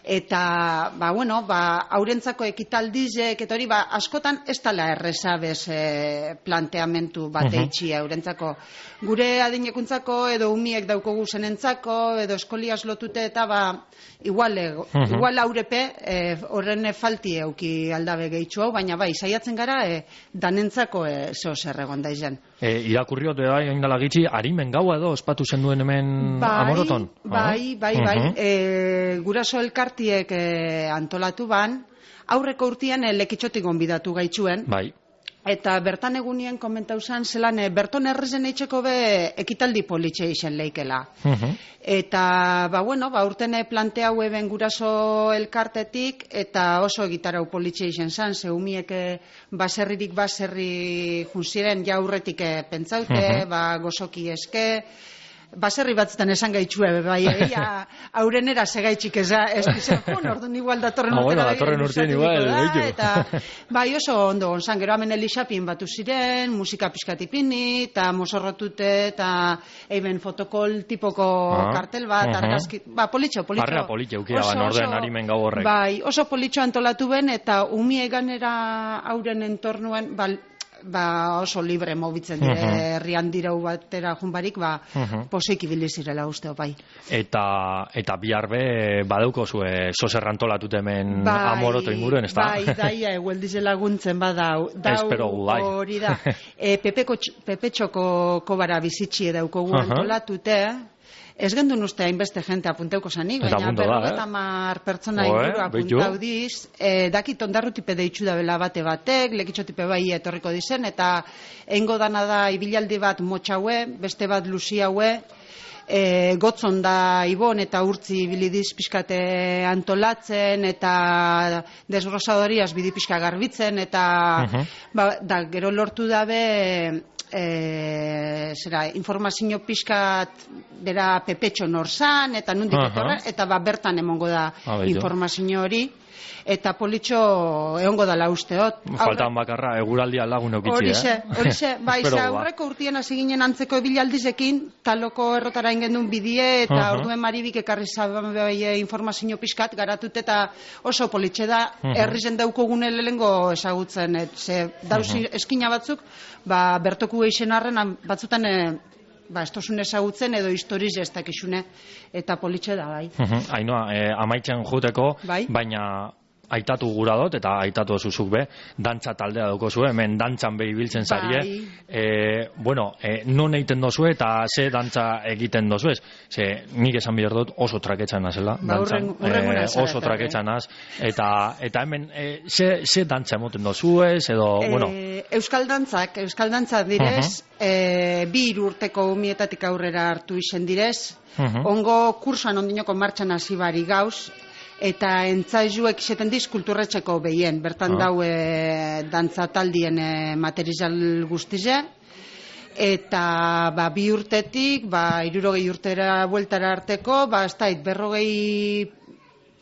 eta, ba, bueno, ba, aurentzako ekitaldizek, eta hori, ba, askotan ez tala erreza bez e, planteamentu bat Mhm. eitxi aurentzako. Gure adinekuntzako, edo umiek daukogu zenentzako, edo eskoliaz lotute, eta, ba, igual, ego, Mhm. igual aurepe, e, horren falti euki aldabe gehitxu hau, baina bai, saiatzen gara, e, danentzako e, zeo zer egon da izen. E, irakurriot bai, oindala gitxi, harimen gaua edo ospatu zen duen hemen Amoroton? Bai, bai, bai. Mhm. E, guraso elkartiek e, antolatu ban, aurreko urtean e, lekitxotik gonbidatu gaitxuen. Bai. Eta bertan egunien komentau zan, zelan e, berton errezen eitxeko be ekitaldi politxe isen leikela. Mhm. Eta, ba, bueno, ba, urten planteau eben guraso elkartetik, eta oso egitarau politxe isen zan, ze humiek e, baserririk baserri junziren jaurretik e, pentsaute, Mhm. ba, gozoki eske, baserri batzutan esan gaitxue, bai, egia, aurenera segaitxik eza, ez dizan, jun, orduan igual datorren Ah, urtera bueno, begira datorren urtean luzatuko igual, da, gehiago. eta, bai, oso ondo gonzan, gero hemen elixapin batu ziren, musika pizkatipini, eta mosorrotute, eta eiben fotokol tipoko Ah, kartel bat, mhm. argazki, ba, politxo, politxo. Harrera politxe eukira Oso, ban orden oso- harimen gau horrek. Bai, oso politxo antolatu ben, eta umie ganera auren entornuen, ba, ba oso libre mobitzen dire, Mhm. herrian dirau batera junbarik, ba, Mhm. pozik ibili zirela usteo, bai. Eta eta bihar be badauko zue sozer antolatut hemen Amoroto inguruen, ezta? Bai, daia egueldize laguntzen badau. Dau Espero gu, bai. hori da. E, Pepeko, Pepetxoko kobara bizitxie daukogu Aha. antolatute, ez gendun uste hainbeste jente apunteuko zanik, Eta baina punto da, eh? berrogeta mar pertsona Oe, inguru beitu. apuntau diz. E, dakit ondarrutipe deitxu da bela bate batek, lekitxotipe bai etorriko dizen, eta eingo dana da ibilaldi bat motxaue, beste bat luziaue, e, gotzon da Ibon eta urtzi bilidiz pixkate antolatzen, eta desgrosadoriaz bidi pixka garbitzen, eta Mhm. ba, da, gero lortu dabe e, zera, informazio pixkat dera Pepetxo norzan, eta nundik Aha. etorra, eta ba, bertan emongo da Ah, bello. informazio hori, eta politxo egongo dala usteot. Faltan bakarra eguraldia lagun eukitzi, Horixe, eh? horixe, bai, Espero ze gu, ba. aurreko urtien hasi ginen antzeko ebilaldizekin, taloko errotara ingendun bidie, eta Aha. orduen maribik ekarri zaban bai informazio pixkat garatut, eta oso politxe da, Mhm. herrizen daukogune lehengo ezagutzen, et, ze dauzi eskina batzuk, ba, bertoku eixen arren, batzutan, e, ba, estozun ezagutzen, edo historiz ez dakizune, eta politxe da, bai. Mhm. Ainoa, eh, amaitzen juteko, Bai. baina aitatu gura dut, eta aitatu zuzuk be, dantza taldea dauko zuen, hemen dantzan be ibiltzen zarie. Bai. E, bueno, e, non egiten dozu eta ze dantza egiten dozu ez? Ze, nik esan behar dut oso traketxan nazela, Ba, dantzan. hurren- hurrengora Eh, zara oso eta, traketxan naz. Eta, eta hemen, e, ze, ze dantza emoten dozu ez, edo, bueno, Eh, Euskal dantzak, Euskal dantzak direz, eh, bi hiru urteko umietatik aurrera hartu izen direz, Mhm. ongo kursoan ondinoko martxan hasi bari gauz, eta entzaizuek iseten diz kulturretxeko behien, bertan Ah. dau e, dantza taldien e, material guztize, eta ba, bi urtetik, ba, irurogei urtera bueltara arteko, ba, ez dait, berrogei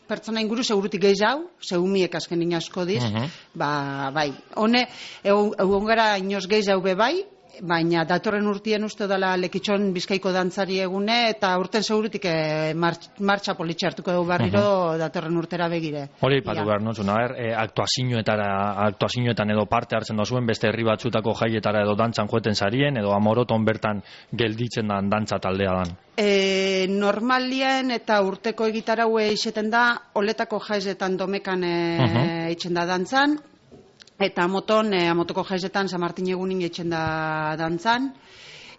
pertsona inguru segurutik gehiago, zeumiek azken asko diz, Mhm. ba, bai, hone, egon gara inoz gehiago be bai, baina datorren urtien uste dela Lekitxon Bizkaiko dantzari egune, eta urten segurutik e, martx, martxa politxe hartuko dugu barriro datorren urtera begire. hori patu Ia. behar notzun, a ber, e, aktuazioetara, aktuazioetan edo parte hartzen dozuen, beste herri batzutako jaietara edo dantzan joeten sarien, edo Amoroton bertan gelditzen dan dantza taldea dan. E, normalien eta urteko egitaraue iseten da, oletako jaizetan domekan e, Mhm. eitzen da dantzan, eta moton, e, amotoko jaizetan San Martin egunin eitzen da dantzan,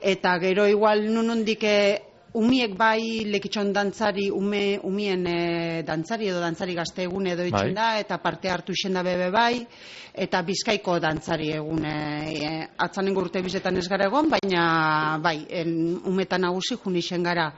eta gero igual nunundik e, umiek bai Lekitxon dantzari, ume, umien e, dantzari edo dantzari gazte egun edo Bai. eitzen da, eta parte hartu isen da bebe bai, eta Bizkaiko dantzari egun e, atzanengo urte bizetan ez gara egon, baina bai, en, umetan nagusi jun isen gara.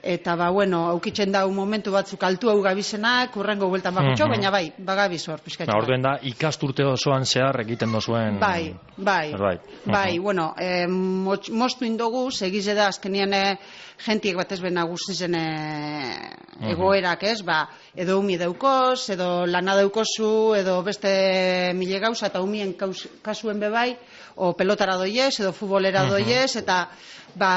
Eta ba, bueno, aukitzen da un momentu batzuk altu hau gabizenak, urrengo bueltan bakutxo, Mhm. baina bai, bagabiz hor, pizkatxo. Na, orduen da, ikasturte osoan zehar egiten dozuen... Bai, bai, Zerbait. bai, Mhm. bueno, eh, moz- moztu indogu, segize da, azkenian eh, jentiek batez ben nagusizen eh, egoerak, ez, ba, edo umi daukoz, edo lana daukozu, edo beste mile gauza, eta umien kaus, kasuen bebai, o pelotara doiez, edo futbolera doiez, eta, ba,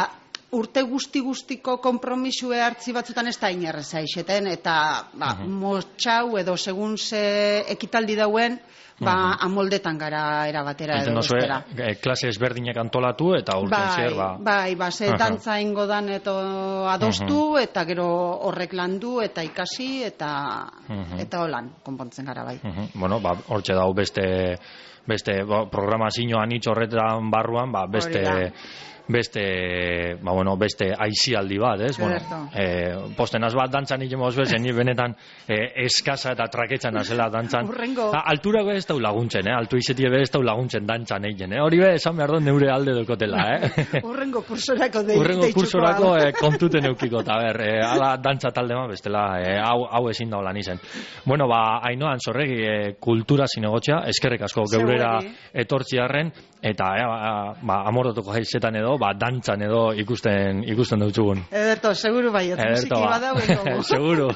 urte guzti-guztiko konpromisue hartzi batzutan ez da inerreza ixeten, eta ba, uh -huh. motxau edo segun ze ekitaldi dauen, ba, uh -huh. amoldetan gara erabatera edo bestera. E, klase ezberdinek antolatu eta urten bai, zer, ba... Bai, ba, ze uh -huh. dantza ingo dan eto adostu, uh -huh. eta gero horrek landu, eta ikasi, eta uh -huh. eta holan, konpontzen gara bai. Uh -huh. Bueno, ba, hortxe dau beste, beste ba, programazioan hitz horretan barruan, ba, beste... beste, ba, bueno, beste aizialdi bat, ez? Bueno, eh, postenaz bat dantzan nik emoz bezen, benetan eh, eskasa eta traketxan azela dantzan. Urrengo. Altura be ez dau laguntzen, eh? Altu izetie be ez dau laguntzen dantzan egin, eh? Hori be, esan behar dut neure alde dokotela, eh? Urrengo kursorako deitxuko. Urrengo kursorako eh, kontuten eukiko, eta ber, eh, ala dantza talde ma, bestela, eh, hau, hau ezin da lan izen. Bueno, ba, Ainoan Zorregi eh, kultura zinegotxea, eskerrek asko geurera etortziarren, eta eh, ba, ba, amorotoko jaizetan edo, ba, dantzan edo ikusten ikusten dutzugun. Ederto, seguru bai, musiki badau ego. Seguru.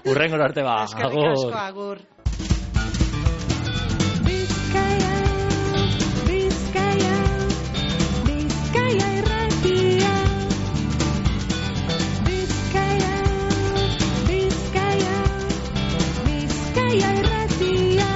Urrengor arte ba. Eskerrik asko, agur. Bizkaia, Bizkaia, Bizkaia irratia. Bizkaia, Bizkaia, Bizkaia irratia.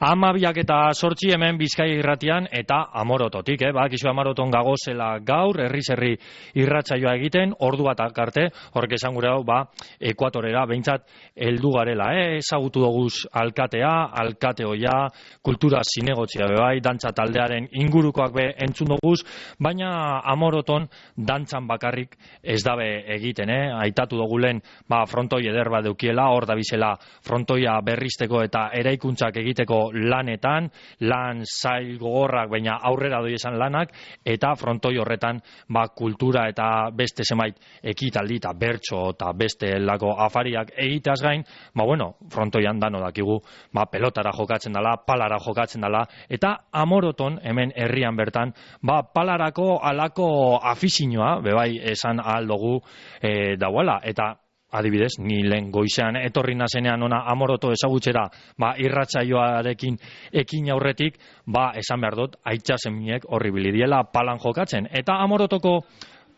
Amabiak eta sortzi hemen Bizkaia irratian eta Amorototik, eh? Bakizu Amoroton gagozela gaur, herri-herri irratsaioa egiten, ordu bat arte, horrek esan gure hau, ba, ekuatorera, behintzat, heldu garela, eh? Ezagutu doguz alkatea, alkate hoia, kultura zinegotzia bebai, dantza taldearen ingurukoak be entzun doguz, baina Amoroton dantzan bakarrik ez dabe egiten, eh? Aitatu dogulen, ba, frontoi eder bat deukiela, hor da bizela frontoia berrizteko eta eraikuntzak egiteko lanetan, lan zail gogorrak, baina aurrera doi esan lanak, eta frontoi horretan ba, kultura eta beste zenbait ekitaldi eta bertso eta beste lako afariak egiteaz gain, ba bueno, frontoian dano dakigu, ba pelotara jokatzen dala, palara jokatzen dala, eta Amoroton hemen herrian bertan, ba palarako alako afizinoa, bebai esan ahal dugu e, dauela, eta adibidez, ni lehen goizean etorri nazenean ona Amoroto ezagutzera, ba, irratsaioarekin ekin aurretik, ba, esan behar dut, aitxasemiek horri bilidiela palan jokatzen. Eta Amorotoko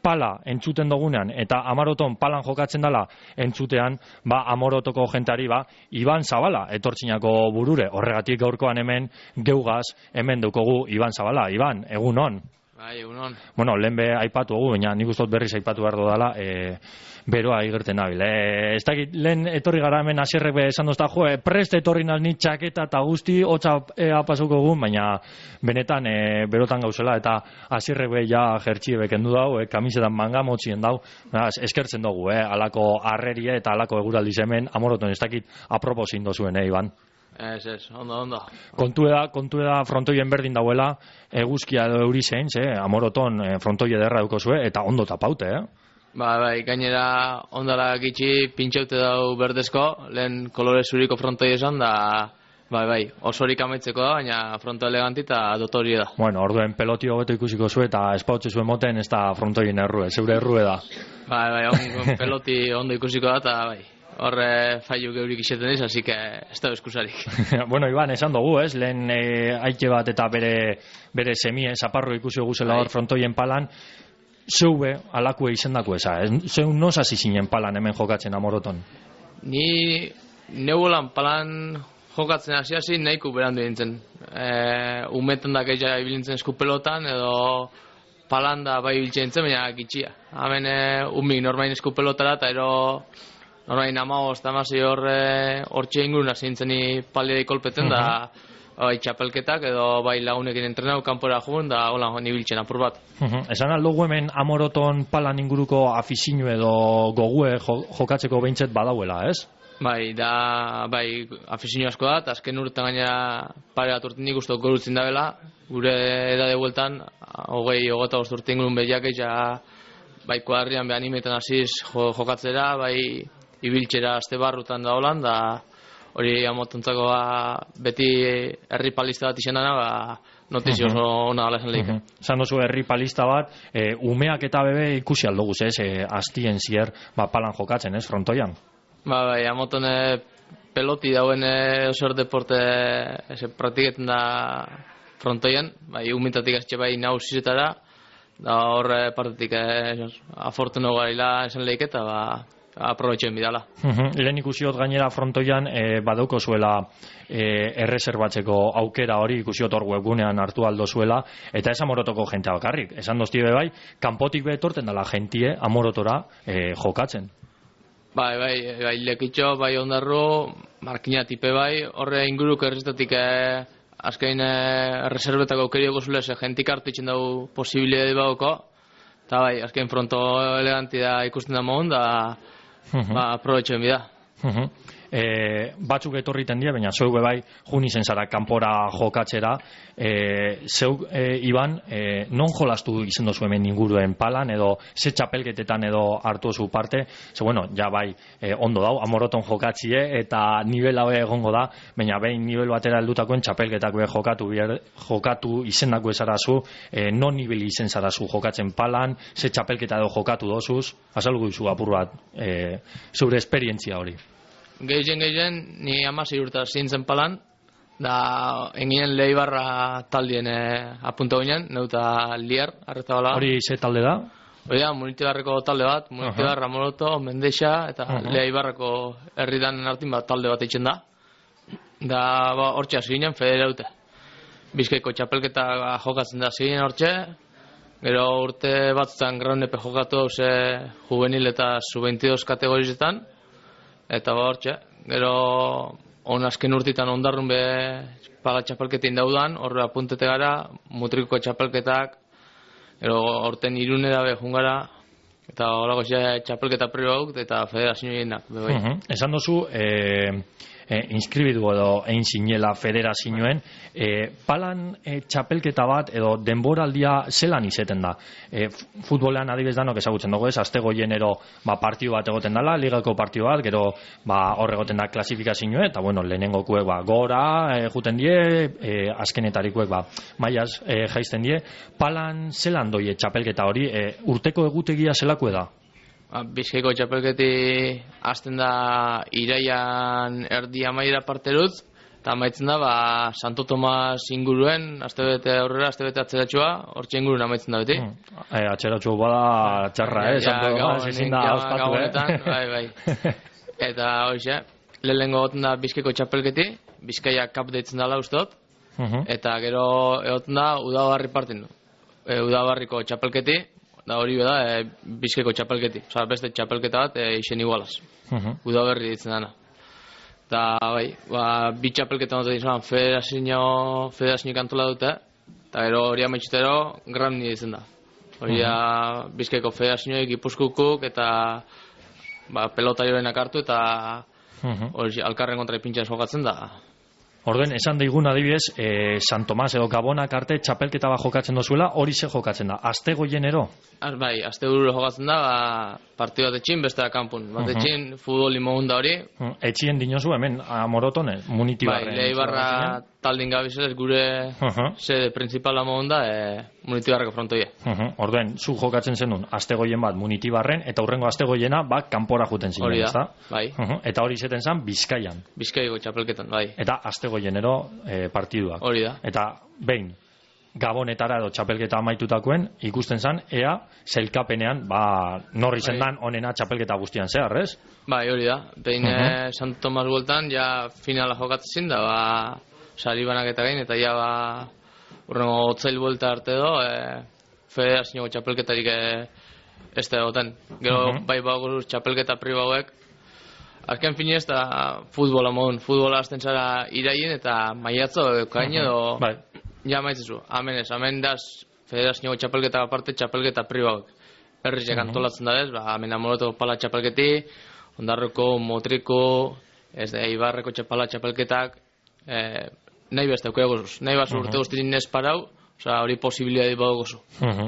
pala entzuten dugunean, eta Amoroton palan jokatzen dela entzutean, ba, Amorotoko jentari, ba, Iban Zabala etortzinako burure. Horregatik gaurkoan hemen geugaz, hemen daukogu Iban Zabala. Iban, egun on. Bai, egun on. Bueno, lehen be aipatu dugu, baina nik ustot berriz aipatu behar dudala, e, beroa igerten nabil. E, ez dakit, lehen etorri gara hemen asierrek be esan dozta, jo, e, prest etorri nalni txaketa eta guzti, hotza e, apasuko egun, baina benetan e, berotan gauzela, eta asierrek be ja jertxie bekendu dau, e, kamisetan manga motzien dau, beraz, eskertzen dugu, e, alako arrerie eta alako eguraldiz hemen, Amoroton ez dakit aproposin dozuen, e, Iban. Ez, ez, ondo, ondo. Kontu eda, kontu eda frontoien berdin dauela, eguzkia edo euri zein, eh? Amoroton e, frontoi ederra dukozue, eta ondo tapaute, eh? Ba, bai, gainera ondala gitxi pintxaute dau berdezko, lehen kolore zuriko frontoi esan, da, bai, bai, osorik amaitzeko da, baina fronto eleganti eta dotori da. Bueno, orduen peloti hobeto ikusiko zue, eta espautze zuen moten, ez da frontoien errue, zeure errue da. Bai, bai, on, peloti ondo ikusiko da, eta bai. Horre faiu geurik iseten diz, así que ez da eskusarik. Bueno, Iban, esan dugu, ez? Lehen e, aike bat eta bere, bere semie, zaparro ikusi guzela hor frontoien palan, zeube alakue izendako eza, ez? Zeu noz hasi zinen palan hemen jokatzen Amoroton? Ni neugolan palan jokatzen hasi hasi nahiko berandu dintzen. E, umetan da gehiago ibilintzen eskupelotan, edo palan da bai ibiltzen dintzen, baina gitxia. Hemen e, umik normain eskupelotara, eta ero Norain amagoz eta amasi horre hortxe ingurun azintzeni paliai kolpeten da bai txapelketak edo bai lagunekin entrenau kanpora jugun da hola nibiltzen apur bat. Esan aldugu hemen Amoroton palan inguruko afizinu edo gogue jokatzeko behintzet badauela, ez? Bai, da, bai, afizinu asko da, eta azken urtean gainera pare bat urten nik uste gorutzen dabela, gure edade bueltan, hogei, hogeta bost urte ingurun behiak ja, bai kuadrian be animetan hasiz jokatzera, bai ibiltzera aste barrutan da holan, da hori Amotontzako ba, beti herri palista bat izan dana, ba, notizio oso ona dala esan lehik. Zan dozu herri palista bat, e, umeak eta bebe ikusi aldoguz, ez, e, astien zier, ba, palan jokatzen, ez, frontoian? Ba, bai, Amoton peloti dauen oso deporte, eze, praktiketan da frontoian, bai, umetatik azte bai nausizetara, da horre partetik eh, afortuno garila esan lehik eta ba, aprobetxen bidala. Uhum. Lehen ikusiot gainera frontoian e, badauko zuela e, erreserbatzeko aukera hori, ikusiot hor webgunean hartu aldo zuela, eta ez Amorotoko jentea bakarrik. Esan dozti bai, kanpotik betorten dela jentie Amorotora e, jokatzen. Bai, bai, bai, lekitxo, bai ondarro, markina tipe bai, horre inguruk erreztatik eh, azkain eh, reservetako aukerioko zule, ze jentik hartu itxen dugu posibilidade bagoko, eta bai, azkain fronto eleganti da ikusten da mohon, da ba, aprobetxen bida. Uh-huh. E, batzuk etorriten die, baina zeu bai jun izen zara kanpora jokatzera. E, zeu, e, Iban, e, non jolastu izen dozu hemen inguruen palan, edo ze txapelketetan edo hartu zu parte, ze bueno, ja bai, e, ondo dau, Amoroton jokatzie, eta nivel hau egongo da, baina behin nivel batera heldutakoen txapelketak be jokatu, bier, jokatu izendako ezarazu, e, non nivel izen zarazu jokatzen palan, ze txapelketa edo jokatu dozuz, azalgu izu apur bat, e, zure esperientzia hori. Gehien gehien, ni amasei urta zintzen palan, da enginen Leibarra taldien eh, apunta ginen, neuta Lier, arretabala. Hori ze talde da? Hori da, Munitibarreko talde bat, Munitibarra, uh-huh. Moroto, Mendexa, eta uh-huh. Leibarrako herridan artin bat talde bat eitzen da. Da, ba, hortxe hasi ginen, federaute. Bizkaiko txapelketa jokatzen da hasi ginen hortxe, gero urte batzutan graunepe jokatu ze juvenil eta sub veintidós kategorizetan, eta ba hortxe, gero on azken urtitan ondarrun be paga txapelketin daudan, horre apuntete gara, mutriko txapelketak, gero horten irunera be jungara, eta horako txapelketa pribauk eta federazioenak. Uh-huh. Esan dozu, e, e, inskribidu edo egin zinela federazioen, e, palan e, txapelketa bat edo denboraldia zelan izeten da? E, futbolean adibez danok ezagutzen dugu ez, azte goienero ba, partio bat egoten dela, ligako partio bat, gero ba, hor egoten da klasifikazioe, eta bueno, lehenengokuek ba, gora e, juten die, e, azkenetarikuek ba, maiaz e, jaisten die, palan zelan doie txapelketa hori, e, urteko egutegia zelako da? Bizkaiko txapelketi hasten da iraian erdi amaira parterut, eta amaitzen da ba, Santo Tomas inguruen, astebete aurrera, astebete atzeratxua, hortxe inguruen amaitzen da beti. Hmm. E, atzeratxua bada txarra, eh? Santo Tomas ezin da ospatu, eh? Bai, bai. Eta hoxe, lehenengo goten da Bizkaiko txapelketi, Bizkaia kap deitzen dela ustot, uh-huh. Eta gero egoten da Udabarri partin du. E, Udabarriko txapelketi, da hori beda e, Bizkaiko txapelketi, oza, beste txapelketa bat e, isen igualaz. Uh-huh. Udaberri ditzen dana. Eta bai, ba, bi txapelketa notu ditzen federazio, federazio kantola dute, eta gero hori amaitxutero Gramni ditzen da. Hori da uh-huh. Bizkaiko federazioek, Gipuzkukuk eta ba, pelotarioenak hartu eta uh-huh. hori alkarren kontra ipintxan jokatzen da. Orduen, esan daigun adibidez, e, San Tomas edo Gabonak arte txapelketa bat jokatzen dozuela, hori ze jokatzen da? Azte goienero? Az, bai, azte gururo jokatzen da, ba, partidu bat etxin, beste da kanpun. Bat uh-huh. etxin, futbol imogun da hori. Uh-huh. Etxien dinozu hemen, Amorotone, Munitibarren. Bai, Leibarra taldin gabizelez gure uh-huh. sede principala mogun da, e, Munitibarreko frontoia. Uh-huh. Orduen, zu jokatzen zenun, azte goien bat Munitibarren, eta hurrengo azte goiena, bat kanpora juten zinen, hori da, ezta? Bai. Uh-huh. Eta hori zeten zen, Bizkaian. Bizkaiko txapelketan, bai. Eta azte goienero e, partiduak. Hori da. Eta behin, Gabonetara edo txapelketa amaitutakoen ikusten zan, ea, zelkapenean, ba, norri zendan onena txapelketa guztian zehar, ez? Bai, hori da. Behin uh-huh. Santo Tomas bueltan, ja finala jokatzen da, ba, sari banaketa gain, eta ja, ba, urrengo otzail buelta arte edo, e, federazio txapelketarik e, ez da egoten. Gero, uh-huh. bai, baguruz txapelketa pribauek, azken fini ez da futbola modun, futbola azten zara iraien eta maiatzo edo kain edo uh-huh. bai. Ja maitzezu, amen ez, amen daz federazio txapelketa aparte txapelketa pribauek. Herrizek uh-huh. antolatzen da ez, ba, amen Amoroto pala txapelketi, Ondarroko, Motriko, ez da, Ibarreko txapala txapelketak, eh, nahi beste aukera gozuz, nahi bazu uh-huh. urte guztirin ez parau, oza, hori posibilidadi badu gozu. Uh-huh.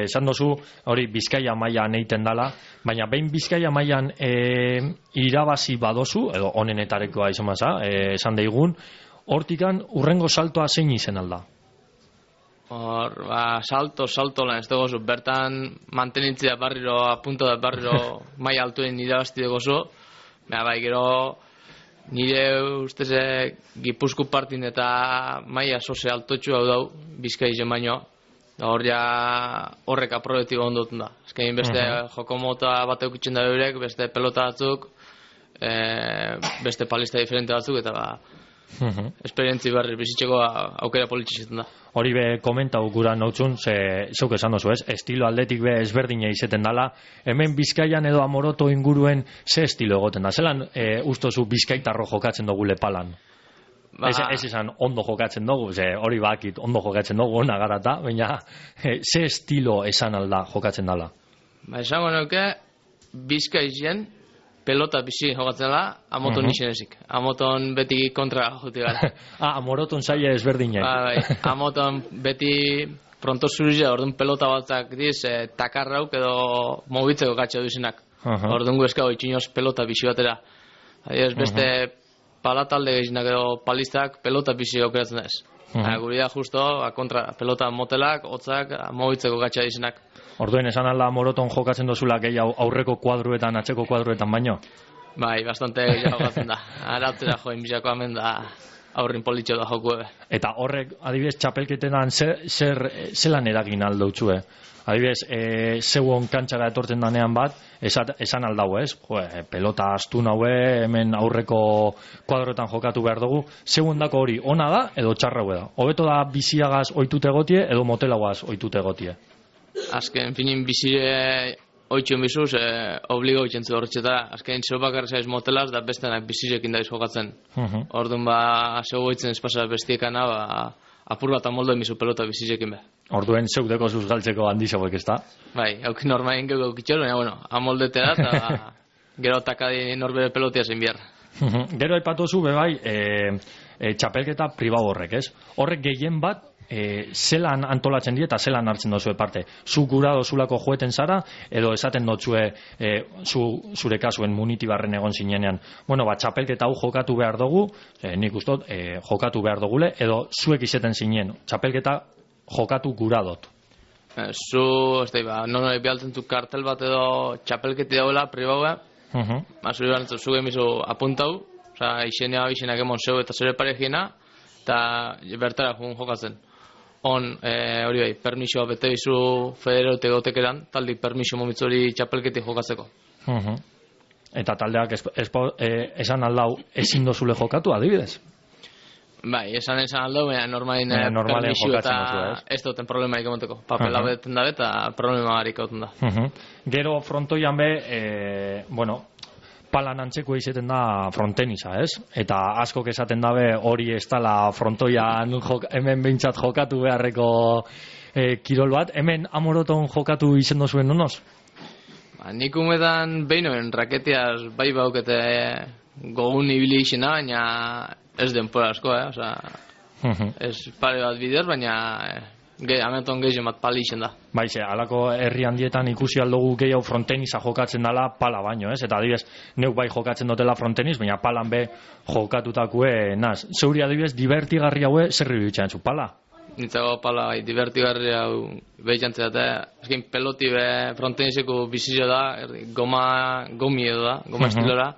Esan dozu, hori Bizkaia mailan eiten dala, baina behin Bizkaia mailan e, irabazi badozu, edo onenetarekoa izan baza, e, esan daigun, hortikan urrengo saltoa zein izen alda? Hor, ba, salto, salto lan ez dugu bertan mantenitzi da barriro, apunto da barriro mai altuen irabazti dugu zu, baina bai, gero nire ustez eh, Gipuzko partin eta maila sose altotxu hau dau, Bizkaizen baino. Da hor ja horrek aprobetibo ondotun da. Ezkein beste Mhm. joko mota bat eukitzen da eurek, beste pelota batzuk, e, beste palista diferente batzuk, eta ba, Mhm. esperientzi berri bizitzeko aukera politxe da. Hori be komentau gura nautzun, ze zeuk esan dozu, ez? Estilo aldetik be ezberdina izeten dala. Hemen Bizkaian edo Amoroto inguruen ze estilo egoten da? Zelan e, ustozu bizkaitarro jokatzen dugu Lepalan? Ba, Ez, ez izan ondo jokatzen dugu, ze hori bakit ondo jokatzen dugu, ona garata, baina e, ze estilo esan alda jokatzen dala? ba esango nuke, Bizkaizien pelota bizi jokatzen dela, Amoton Mhm. uh-huh. ezik. Amoton beti kontra juti gara. Ah, Amoroton saia ezberdinak. Ba, bai, Amoton beti pronto zurizia, orduan pelota batzak diz, eh, takarrauk edo mobitzeko katxe duzenak. Aha. Orduan gu eskau itxinoz pelota bizi batera. Adiez, beste palatalde gehienak edo palistak pelota bizi aukeratzen da ez. Mhm. Guri da justo, ba, kontra pelota motelak, hotzak, mobitzeko katxe dizenak. Orduen esan alda Amoroton jokatzen dozula gehiago aurreko kuadruetan, atzeko kuadruetan baino? Bai, bastante gehiago gatzen da. Aratzera joen bizako hemen da aurrin politxo da joku ebe. Eta horrek, adibidez, txapelketetan zer, zer, zelan eragin aldo txue? Adibidez, e, zeuon kantxara etortzen danean bat, esat, esan aldau, ez? Jo, e, pelota astun haue, hemen aurreko kuadroetan jokatu behar dugu. Zeuon dako hori, ona da edo txarra hue da? Hobeto da biziagaz oitute gotie edo motelagaz oitute gotie? Azken finin bizire oitxun bizuz, eh, obligo itxentzu horretxetara. Azken zeu bakarra zaiz motelaz, da bestenak bizirekin daiz jokatzen. Mhm. Orduan ba, zeu goitzen espasa bestiekana, ba, apur bat amoldo emizu pelota bizirekin be. Orduen zeudeko zuz galtzeko handizabok, ez da? Bai, hauk normalen gego eukitxor, baina, bueno, amoldete da, eta gero takadi norbere pelotia zein behar. Mhm. Gero aipatu zu bebai, e, e, txapelketa pribau horrek, ez? Horrek gehien bat, e, zelan antolatzen die eta zelan hartzen dozue parte. Zu gura dozulako joeten zara, edo esaten dotzue e, zu, zure kasuen munitibarren egon zinenean. Bueno, ba, txapelketa hau jokatu behar dugu, e, nik ustot, e, jokatu behar dugule, edo zuek izeten zinen, txapelketa jokatu gura dot. Eh, zu, ez da, ba, non hori behaltzen zu kartel bat edo txapelketi dauela, pribaua, Mhm. ba, zuri behar zu gemizu apuntau, oza, izenea izenak emon zeu eta zure paregiena, eta bertara jun jokatzen. On, eh, hori bai, permisoa bete bizu federote gotekeran, taldik permiso momitzu hori txapelketi jokatzeko. Mhm. Eta taldeak espo, espo, e, esan aldau ezin dozule jokatu, adibidez? Bai, esan esan aldo, baina normalin Baina eh, normalean permiso jokatzen eta duzu, ez? ez duten problemarik emoteko. Papela Aha. beten dabe eta problema barik hauten da. Mhm. Gero frontoian be, e, bueno, palan antzeko izeten da frontenisa, ez? Eta askok esaten dabe hori ez dala frontoian jok, hemen behintzat jokatu beharreko e, kirol bat. Hemen Amoroton jokatu izen dozuen nonoz? Ba, nik umetan behinoen raketiaz bai baukete gogun ibili izena, baina ez denpora asko, eh? Osa, Mhm. ez pare bat bider, baina eh, ge, ameton gehien bat pali izen da. Baize, alako herri handietan ikusi aldugu gehiago frontenisa jokatzen dala pala baino, ez? Eta adibidez, neuk bai jokatzen dutela frontenis, baina palan be jokatutakue naz. Zeuri adibidez, divertigarri haue zer iruditzen zu, pala? Nintzago pala bai, divertigarri hau behitzantzea eta eskin peloti be fronteniseko bizizio da, erdi, goma, gomi edo da, goma Mhm. estilora,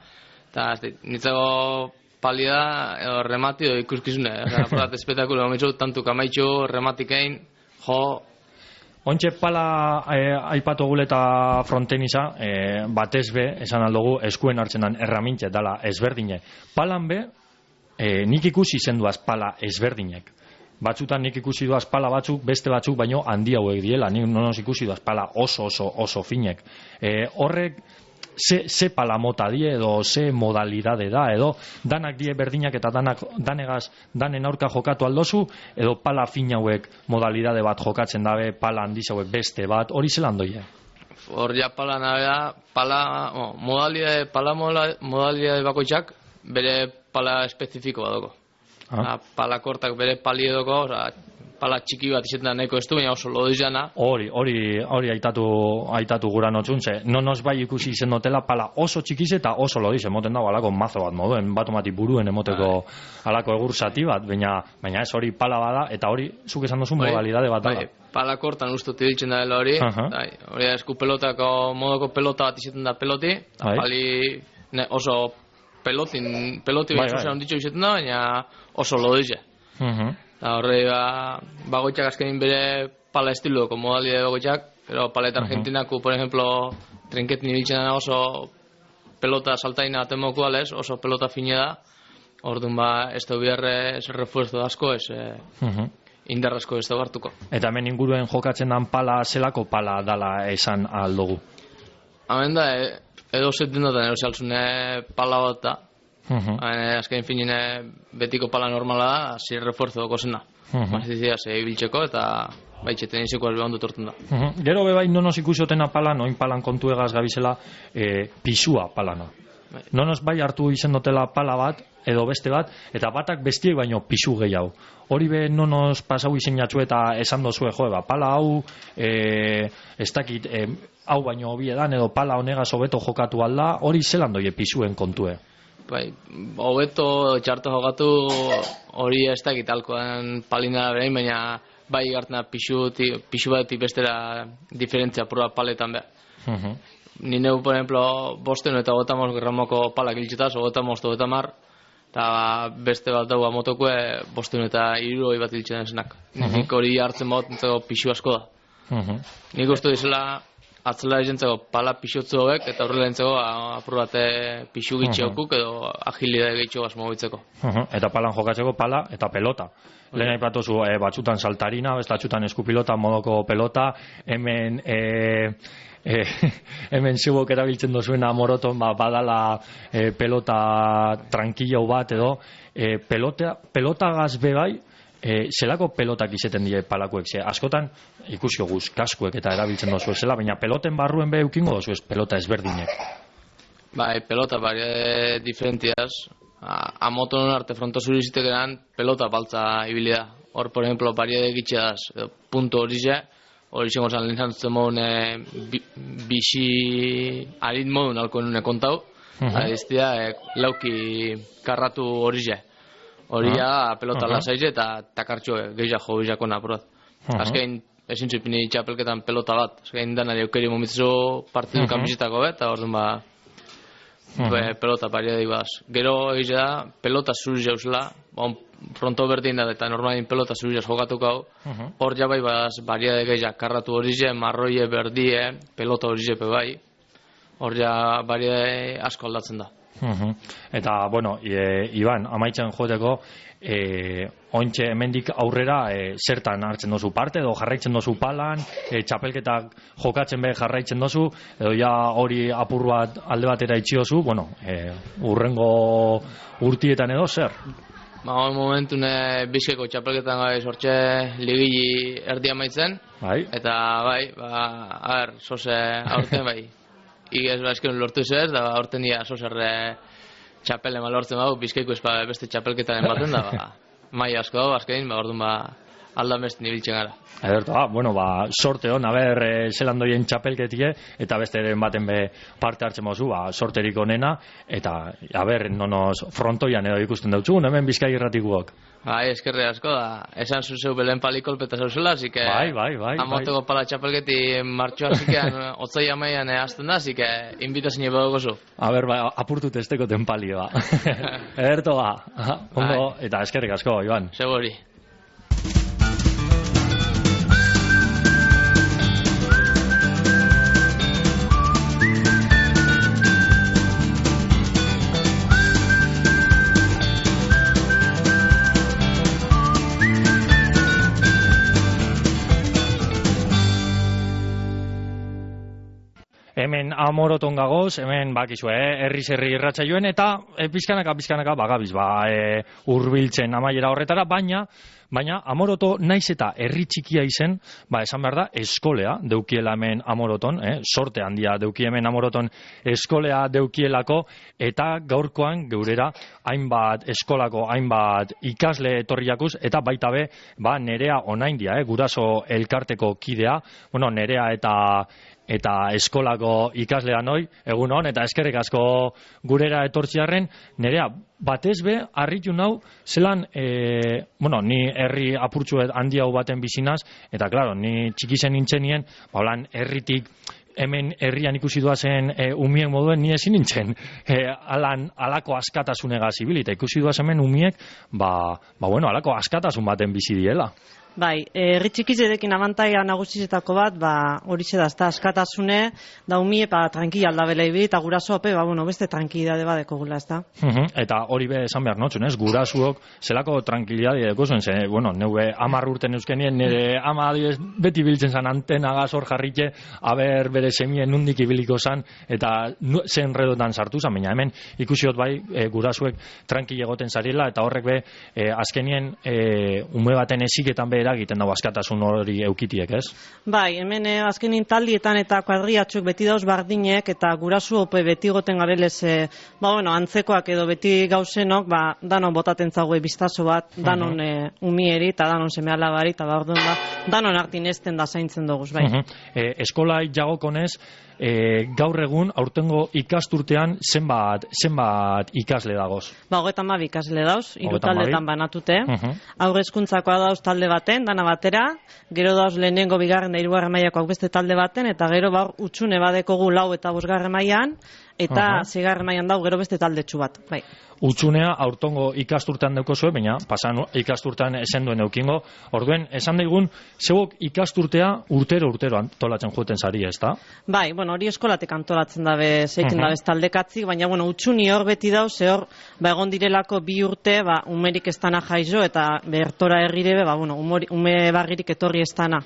eta ez dit, nintzago pali da, edo remati edo ikuskizune, eta porat espetakulo gomitzu, tantu kamaitxu, rematikein, jo, Ontxe pala e, aipatu guleta frontenisa, e, batez be, esan aldugu, eskuen hartzen dan erramintxe dala ezberdine. Palan be, e, nik ikusi zenduaz pala ezberdinek. Batzutan nik ikusi duaz pala batzuk, beste batzuk, baino handi hauek diela. Nik nonos ikusi duaz pala oso oso oso finek. E, horrek, ze, ze pala mota die edo ze modalidade da edo danak die berdinak eta danak danegaz danen aurka jokatu aldozu edo pala fin hauek modalidade bat jokatzen dabe pala handiz hauek beste bat hori zelan doie? hor ja pala nabea, pala, oh, modalidade, pala mola- modalidade bakoitzak bere pala espezifikoa dago. Ah. Pala kortak bere pali edoko, oza, pala txiki bat izetan da nahiko ez du, baina oso lodizana. Hori, hori, hori aitatu, aitatu gura notzuntze. Nonos bai ikusi izen dotela pala oso txikize eta oso lodiz, emoten dago alako mazo bat moduen, bat omati buruen emoteko alako egur zati bat, baina, baina ez hori pala bada, eta hori, zuk esan duzu modalidade bat Bai, dala. pala kortan ustut ibiltzen da dela hori, Aha. bai, hori da esku pelotako modoko pelota bat izaten da peloti, eta Bai. pali ne, oso pelotin, peloti Bai, bai, bai. oso handitxo izaten da, baina oso lodize. Mhm. Eta horre, ba, bagoitzak azkenin bere pala estiloko modalidade bagoitzak, pero paleta argentinako, por ejemplo, trinketin ibiltzen dena oso pelota saltaina atemoko alez, oso pelota fine da, orduan ba, ez da biharre ez refuerzo asko, ez eh, Mhm. indar asko ez da hartuko. Eta hemen inguruen jokatzen dan pala zelako pala dala esan aldugu. Hemen da, e, edo zetten duten edo saltzune pala bat da, Mhm. Hemen, azken finine betiko pala normala da, hasi refuerzo doko zena. Mhm. Mazizia, ze ibiltzeko eta baitxeten izeko ez behondu torten da. Mhm. Gero bebai nonos ikusotena palan, oin palan kontu egaz gabizela, e, pisua palana. Bai. Nonos bai hartu izen dutela pala bat, edo beste bat, eta batak bestiek baino pisu gehiago. Hori be nonos pasau izen jatzu eta esan dozue, jo, ba, pala hau, e, ez dakit, e, hau baino hobiedan, edo pala honegaz hobeto jokatu alda, hori zelan doie pisuen kontue. Bai, hobeto txarto jokatu hori ez dakit alkoan palina berein, baina bai gartena pixu, pixu batetik bestera diferentzia pura paletan behar. Mhm. Ni neu, por ejemplo, bosten eta gotamos gramoko palak iltxetaz, gotamos to eta mar, eta beste bat daua motokue bosten eta irurogei bat iltzen esnak. Nik hori hartzen bat entzako pixu asko da. Mhm. Nik uste dizela atzela esentzako pala pixotzu hobek, eta horrela entzako apur bate pixu gitxiokuk edo agilidade gehitxo asmo bitzeko. Mhm. Eta palan jokatzeko pala eta pelota. Lehen aipatuzu e, batzutan saltarina, beste batzutan eskupilota, modoko pelota, hemen e, e, hemen zubok erabiltzen dozuena moroton ba, badala e, pelota tranquillo bat edo e, pelota, pelotagaz bebai e, zelako pelotak izeten die palakuek, ze askotan ikusi guz kaskuek eta erabiltzen dozu zela, baina peloten barruen be eukingo dozu ez pelota ezberdinek. Bai, pelota bari diferentiaz. A, a motonon arte fronto zuri zitekeran pelota baltza ibili da. Hor, por ejemplo, bari egitxeaz, punto hori ze, hori zengo zan lehen zantzen modun e, bi, bixi arit modun alko nune kontau, Mhm. adiztia e, lauki karratu hori ze. Hori ja pelota Aha. lasaize eta takartxo gehiago jo bizako napurat. Aha. Azkein, ezin zupini txapelketan pelota bat. Azkein danari eukeri momitzu partidu kanbizitako bet, eta orduan ba, Be, pelota paria dibaz. Gero egize da, pelota zuri jauzela, on fronto berdin da, eta normalin pelota zuri jauz jokatuko hau, hor jabai baz, baria de gehiak, karratu hori ze, marroie, berdie, pelota hori zepe bai, hor ja baria asko aldatzen da. Mhm. Eta, bueno, e, Iban, amaitzen joteko, e, ointxe hemendik aurrera e, zertan hartzen dozu parte, edo jarraitzen dozu palan, e, txapelketak jokatzen be jarraitzen dozu, edo ja hori apur bat alde batera itxiozu, bueno, e, urrengo urtietan edo zer? Ba, hori momentune bizkeko txapelketan gai sortxe ligili erdi amaitzen, Bai? eta bai, ba, a ber, soze aurten bai, igez ba esken lortu zez, da aurten dia sozerre txapele malortzen bau, bizkaiko espa beste txapelketaren baten da, ba, mai asko dago, azkein, ba, orduan ba, aldan beste nibiltzen gara. Ederto, ah, bueno, ba, sorte hon, aber, e, zelan doien txapelketie, eta besteren baten be parte hartzen mozu, ba, sorterik onena, eta, aber, nonos frontoian edo ikusten dautzugun, hemen Bizkai irratikuok. Bai, eskerre asko da, esan zuzeu belen palikolpeta zauzela, así que... Bai, bai, bai. Amoteko pala txapelketi martxoa zikean, otzai amaian azten da, así que invitazine bedago zu. Aber, ba, apurtu testeko tenpalioa. Ederto, ba, ondo, eta eskerrik asko, Iban. Seguri. Hemen amoroton gagoz, hemen bakizu, eh, herriz herri irratsaioen eta e, pizkanaka pizkanaka bagabiz, ba, e, hurbiltzen amaiera horretara, baina baina amoroto naiz eta herri txikia izen, ba, esan behar da, eskolea deukiela hemen amoroton, eh, sorte handia deuki hemen amoroton eskolea deukielako, eta gaurkoan geurera hainbat eskolako, hainbat ikasle etorriakuz, eta baita be, ba, nerea onaindia, eh, guraso elkarteko kidea, bueno, nerea eta eta eskolako ikaslean hoi, egun hon, eta eskerrik asko gurera etortziarren, nerea, batez be, harritu nau, zelan, e, bueno, ni herri apurtxuet handi hau baten bizinaz, eta, klaro, ni txikizen nintzenien, ba, holan, herritik hemen herrian ikusi duazen e, umiek moduen ni ezin nintzen e, alan, alako askatasunega zibil, eta ikusi duaz hemen umiek, ba, ba bueno, alako askatasun baten bizi diela. Bai, herri txikizerekin abantaia nagusietako bat, ba, horixe da, ezta askatasune, da umie, pa, tranquila aldabela ibi, eta guraso ope, ba, bueno, beste tranquilidade badeko gula, ezta. Uh-huh. Eta hori be esan behar notzun, ez? Gurasuok zelako tranquilidade deko zuen, ze, bueno, neue amar urten euskenien, nire ama adibes, beti biltzen zan antena gazor jarritxe, aber bere semien nundik ibiliko zan, eta nu, zen redotan sartu zan, baina hemen ikusiot bai, e, gurasuek tranquil egoten zariela, eta horrek be, e, azkenien e, ume baten eziketan be eragiten dago askatasun hori eukitiek, ez? Bai, hemen eh, azkenin taldietan eta kuadriatxuk beti dauz bardinek eta gurasu ope beti goten gabelez, eh, ba, bueno, antzekoak edo beti gauzenok, ba, danon botaten zaue biztaso bat, danon eh, umieri eta danon seme alabari, eta ba, orduan ba, danon hartin ezten da zaintzen doguz, bai. Uh-huh. eh, eskolai jagokonez, E, gaur egun aurtengo ikasturtean zenbat zenbat ikasle dagoz? Ba, hogeita hamabi ikasle dauz, hiru Hogeita hamabi. taldetan banatute. Uh-huh. Haur hezkuntzakoa dauz talde baten, dana batera, gero dauz lehenengo bigarren da hirugarren mailakoak beste talde baten, eta gero ba utxune badekogu lau eta bosgarren mailan, eta Uh-huh. seigarren mailan dau gero beste taldetxu bat, bai. Utsunea aurtongo ikasturtean daukozue, baina pasan ikasturtean esen duen eukingo. Orduen, esan daigun, zeuok ikasturtea urtero urtero antolatzen joeten zari, ez da? Bai, bueno, hori eskolatek antolatzen dabe, zeiken Mhm. dabe taldekatzik, baina, bueno, utxuni hor beti dau, ze hor, ba, egon direlako bi urte, ba, umerik ez dana jaizo, eta bertora herrire, ba, bueno, umori, ume barririk etorri ez dana.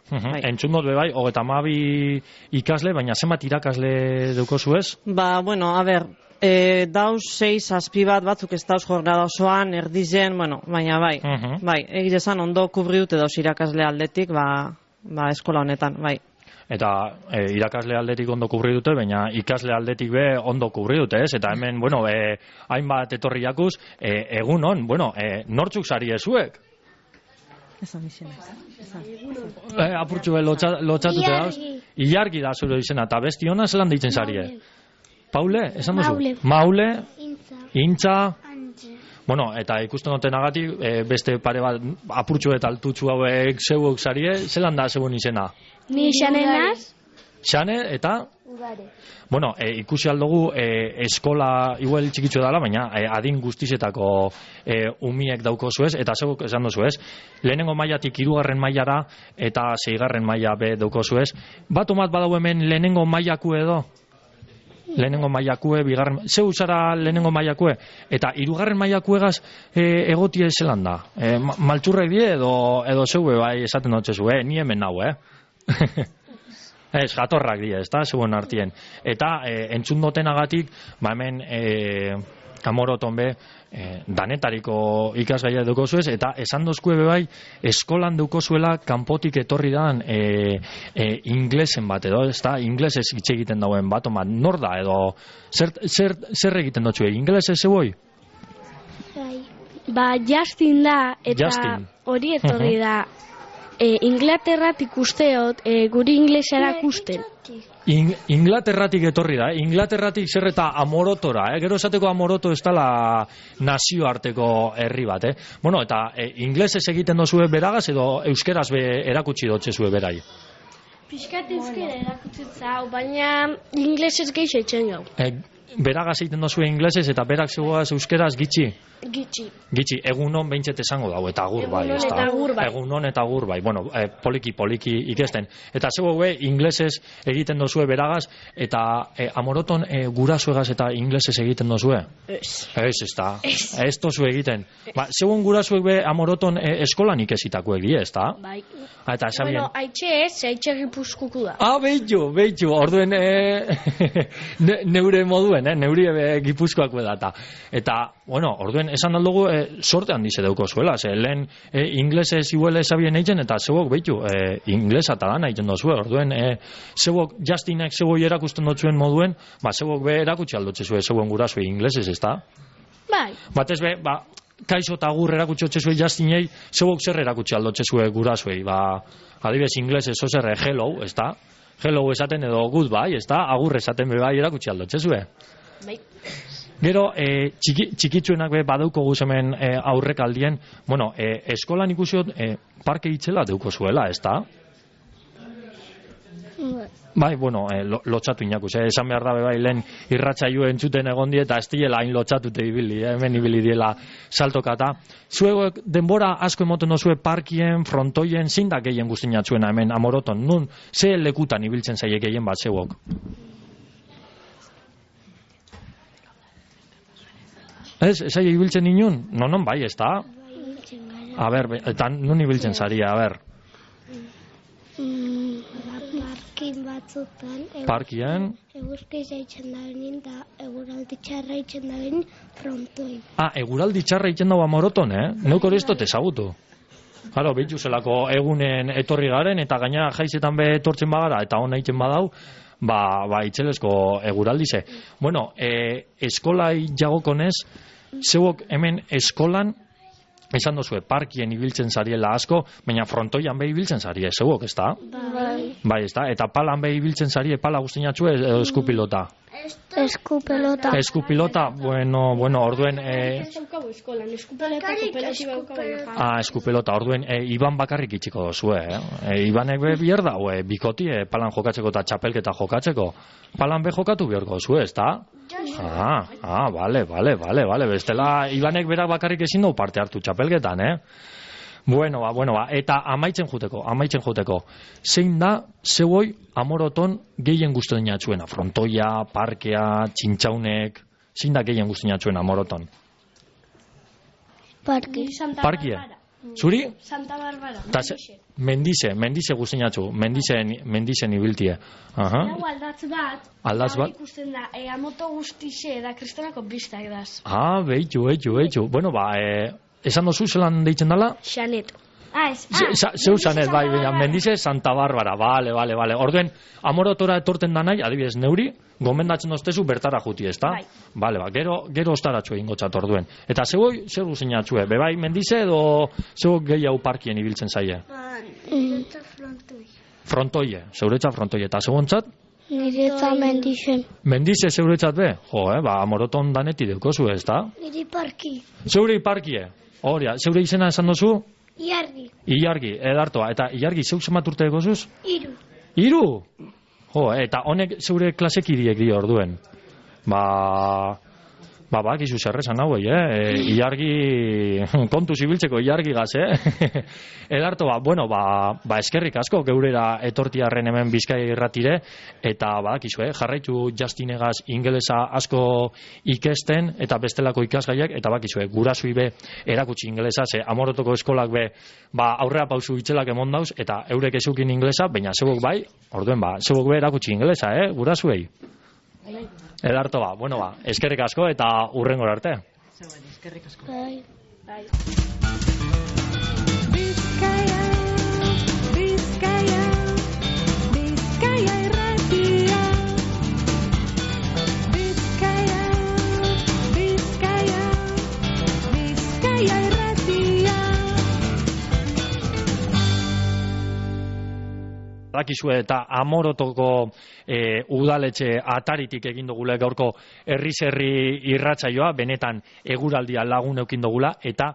Uh-huh. Bai. Entzun dut be bai, hogeita hamabi ikasle, baina zenbat irakasle daukozu ez? Ba, bueno, a ber, e, dauz sei zazpi bat batzuk ez dauz jornada osoan, erdizen, bueno, baina bai, Mhm. bai, egizan ondo kubri dute dauz irakasle aldetik, ba, ba, eskola honetan, bai. Eta e, irakasle aldetik ondo kubri dute, baina ikasle aldetik be ondo kubri dute, ez? Eta hemen, bueno, e, hainbat etorri jakuz, e, egun on, bueno, e, nortzuk sari ezuek? Esan izena. Esan. E, apurtxu be lotxa, lotxatute dauz? Ilargi da zure izena, eta besti hona zelan deitzen zarie? Paule, esan duzu? Maule. Maule, Intza. Intza, Antze. bueno, eta ikusten dutenagatik, e, beste pare bat apurtxu eta altutxu hauek zeuok zarie, zelan da zeuen izena? Ni xanenaz. Xane eta, Udare. bueno, e, ikusi aldugu e, eskola igual txikitxo dela, baina e, adin guztizetako e, umiek dauko zuez, eta zeuk esan duzu ez, lehenengo mailatik hirugarren mailara eta seigarren maila be dauko zuez. Bat omat badau hemen lehenengo mailaku edo? Lehenengo mailakue, bigarren, zeu zara lehenengo mailakue, eta hirugarren mailakuegaz e, egotie zelan da? E, ma, maltsurrek die edo, edo zeue bai esaten dut zezu, eh? Ni hemen nau, eh? Ez, jatorrak die, ez da, zeuen artien. Eta e, entzun dotenagatik, ba hemen e, amoroton be, e, danetariko ikasgaia dukozuez, eta esan dozkue be bai, eskolan dukozuela kanpotik etorri dan e, e, inglesen bat edo, ez da, inglesez hitz egiten dauen bat, oma, nor da edo, zer, zer, zer egiten dutxue, inglesez zeuoi? Bai. Ba, Justin da, eta Justin. hori etorri da. E, Inglaterratik usteot, e, guri inglesa erakusten. In, Inglaterratik etorri da, eh? Inglaterratik zer eta amorotora, eh? Gero esateko amoroto ez dela nazioarteko herri bat, eh? Bueno, eta e, inglesez egiten dozue beragaz edo euskeraz be erakutsi dotzezue berai? Piskat euskera erakutzen zau, baina inglesez gehiago etxen gau. E, beragaz egiten dozue inglesez eta berak zegoaz euskeraz gitxi? Gitxi. Gitxi, egunon behintzet esango dago, eta agur bai, Egunon ez da? eta agur bai. Egunon eta agur bai, bueno, e, poliki, poliki ikesten. Eta zego be, inglesez egiten dozue beragaz, eta e, amoroton e, gurasoegaz eta inglesez egiten dozue? Ez. Ez, ez da. Ez tozu egiten. Ba, zegoen gurasoek be amoroton e, eskolan ikesitakoek die, ez da? Bai. Eta esabien... Bueno, haitxe ez, haitxe gipuzkuku da. Ah, behitu, behitu, orduen e, ne, neure moduen, eh, neuri e, gipuzkoako edata. Eta, bueno, orduen esan aldugu e, sorte handize dauko zuela, ze lehen e, inglesez iguele esabien eitzen, eta zeuok behitu, e, inglesa eta lan eitzen dozue, orduen e, zeuok Justinek zeuok erakusten dotzuen moduen, ba, zeuok be erakutsi aldotze zuen zeuen gurasue inglesez, ez da? Bai. Batez be, ba, kaixo eta agur erakutsi otzezue Justinei, zeuok zer erakutsi aldotzezue gurasuei, ba, adibes inglesez ozerre hello, ez da? Hello esaten edo goodbye, ez da? Agur esaten be bai erakutsi aldotzezue. Bai. Gero, e, txiki, txikitsuenak be badauko guz hemen e, aurrek aldien, bueno, e, eskolan ikusiot e, parke itzela deuko zuela, ez da? Bai, bueno, eh, lo, lotxatu inakus, eh? Esan behar da bai lehen irratsaio entzuten egon die eta ez diela hain lotxatute ibili, eh? Hemen ibili diela saltokata. Zuek denbora asko emoten dozue parkien, frontoien, zein da gehien guztinatzuena hemen Amoroton? Nun, ze lekutan ibiltzen zaie gehien bat zeuok? Ez, ez aia ibiltzen inun? No, non bai, ez da? A ber, eta nun ibiltzen zaria, a ber. Parkin batzutan. Parkien? Eguzki zaitzen da benin, da eguraldi txarra itzen da benin frontoin. Ah, eguraldi txarra itzen dago Amoroton, eh? Neuk hori ez dut ezagutu. Claro, behitu zelako egunen etorri garen, eta gaina jaizetan be etortzen bagara, eta hona itzen badau, ba, ba itxelesko eguraldize. Bueno, e, eskolai jagokonez, zeuok hemen eskolan, esan dozue, parkien ibiltzen zariela asko, baina frontoian behi ibiltzen zarie, zeuok, ez da? Bai. Bai, ez da? Eta palan behi ibiltzen zarie, pala guztinatxue, edo eskupilota? Eskupelota. Eskupilota, bueno, bueno, orduen... E... eskolan, eskupelota kooperatiba daukagu. Ah, eskupelota, orduen, e, Iban bakarrik itxiko dozue, eh? E, Ibanek be bier da, e, bikoti, e, palan jokatzeko eta txapelketa jokatzeko. Palan be jokatu biorko dozue, ez da? Ah, ah, vale, vale, vale, vale, bestela Ibanek berak bakarrik ezin du parte hartu txapelketan, eh? Bueno, ba, bueno, ba, eta amaitzen juteko, amaitzen juteko. Zein da, zeuoi Amoroton gehien guztinatzuena? Frontoia, parkea, txintxaunek, zein da gehien guztinatzuena Amoroton? Parki. Parkie? Zuri? Santa Barbara. Ta ze, mendize, mendize guztinatzu, mendizen, mendizen ibiltie. Aha. Hau aldatz bat, Aldatz bat? ikusten da, e, amoto guztixe da kristonako biztak daz. Ah, behitu, behitu, behitu. Bueno, ba, e, esan dozu zelan deitzen dela? Xanet. Ah, ez, Ze- za- Zeu zanet, bai, baina, mendize Santa Barbara, bale, bale, bale. Orduen, Amorotora etorten da nahi, adibidez, neuri, gomendatzen doztezu bertara juti, ez da? Bai. Bale, ba, gero, gero ostaratxu egin gotzat orduen. Eta zeuoi, zer guzinatxue, bebai mendize edo zeu gehiago parkien ibiltzen zaie? Frontoie, zeuretza frontoie. Eta zeuontzat? Niretza mendixen. Mendize zeuretzat be? Jo, eh, ba, Amoroton daneti deukozu, ez da? Niri parki. Zeure parkie, horia, zeure izena esan dozu? Iargi. Ilargi, edartoa, eta Ilargi zeuk zemat urte egozuz? Iru. Hiru? Jo, eta honek zeure klasekidiek dio orduen. Ba... Ba, ba, gizu zerrezan hauei, eh? E, ilargi, kontu zibiltzeko ilargi gaz, eh? Edarto, ba, bueno, ba, ba, eskerrik asko geurera etortiarren hemen Bizkai irratire, eta ba, gizu, eh? Jarraitu Justinegaz ingelesa asko ikesten, eta bestelako ikasgaiak, eta ba, gizu, eh? Gurasui be erakutsi ingelesa, ze Amorotoko eskolak be, ba, aurrera pausu itxelak emon dauz, eta eurek ezukin ingelesa, baina zebok bai, orduen ba, zebok be erakutsi ingelesa, eh? Gurasuei. Edarto ba, bueno ba, eskerrik asko eta hurrengora arte. Eskerrik asko. Bai. Bai. Bizkaia, Bizkaia, Bizkaia irratia. Bizkaia, Bizkaia, Bizkaia irratia. Dakizue eta Amorotoko e, udaletxe ataritik egin dugula gaurko herriz herri irratsaioa, benetan eguraldia lagun eukin dugula, eta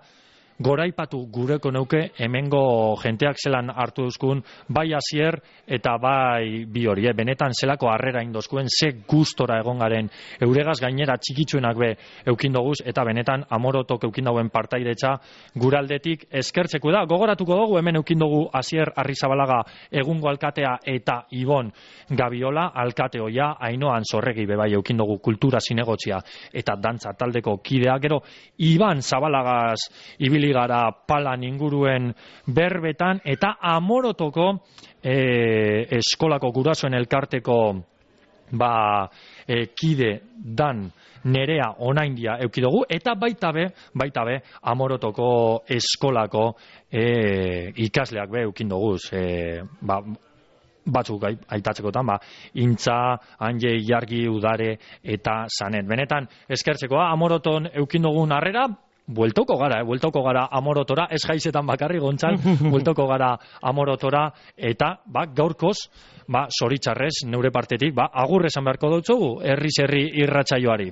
goraipatu gureko neuke hemengo jenteak zelan hartu duzkun, bai Asier eta bai bi hori, eh? Benetan zelako harrera indozkuen, ze gustora egon garen euregaz gainera txikitsuenak be eukin doguz, eta benetan Amorotok eukin dauen partairetza guraldetik eskertzeko da. Gogoratuko dugu hemen eukin dugu Asier Arrizabalaga egungo alkatea eta Ibon Gabiola alkate hoia, Ainoan Zorregi bebai eukin dugu kultura zinegotzia eta dantza taldeko kidea, gero Iban Zabalagaz ibili gara palan inguruen berbetan, eta Amorotoko e, eskolako gurasoen elkarteko ba, e, kide dan Nerea Onaindia eukidugu, eta baita be, baita be Amorotoko eskolako e, ikasleak be eukindoguz, e, ba, batzuk aitatzekotan, ba, Intza, Anje, Ilargi, Udare eta Sanet. Benetan, eskertzekoa, Amoroton eukindogun harrera, bueltoko gara, eh? bueltoko gara Amorotora, ez jaizetan bakarri gontzan, bueltoko gara Amorotora, eta ba, gaurkoz, ba, zoritxarrez, neure partetik, ba, agur esan beharko dutzugu, herriz herri irratsaioari.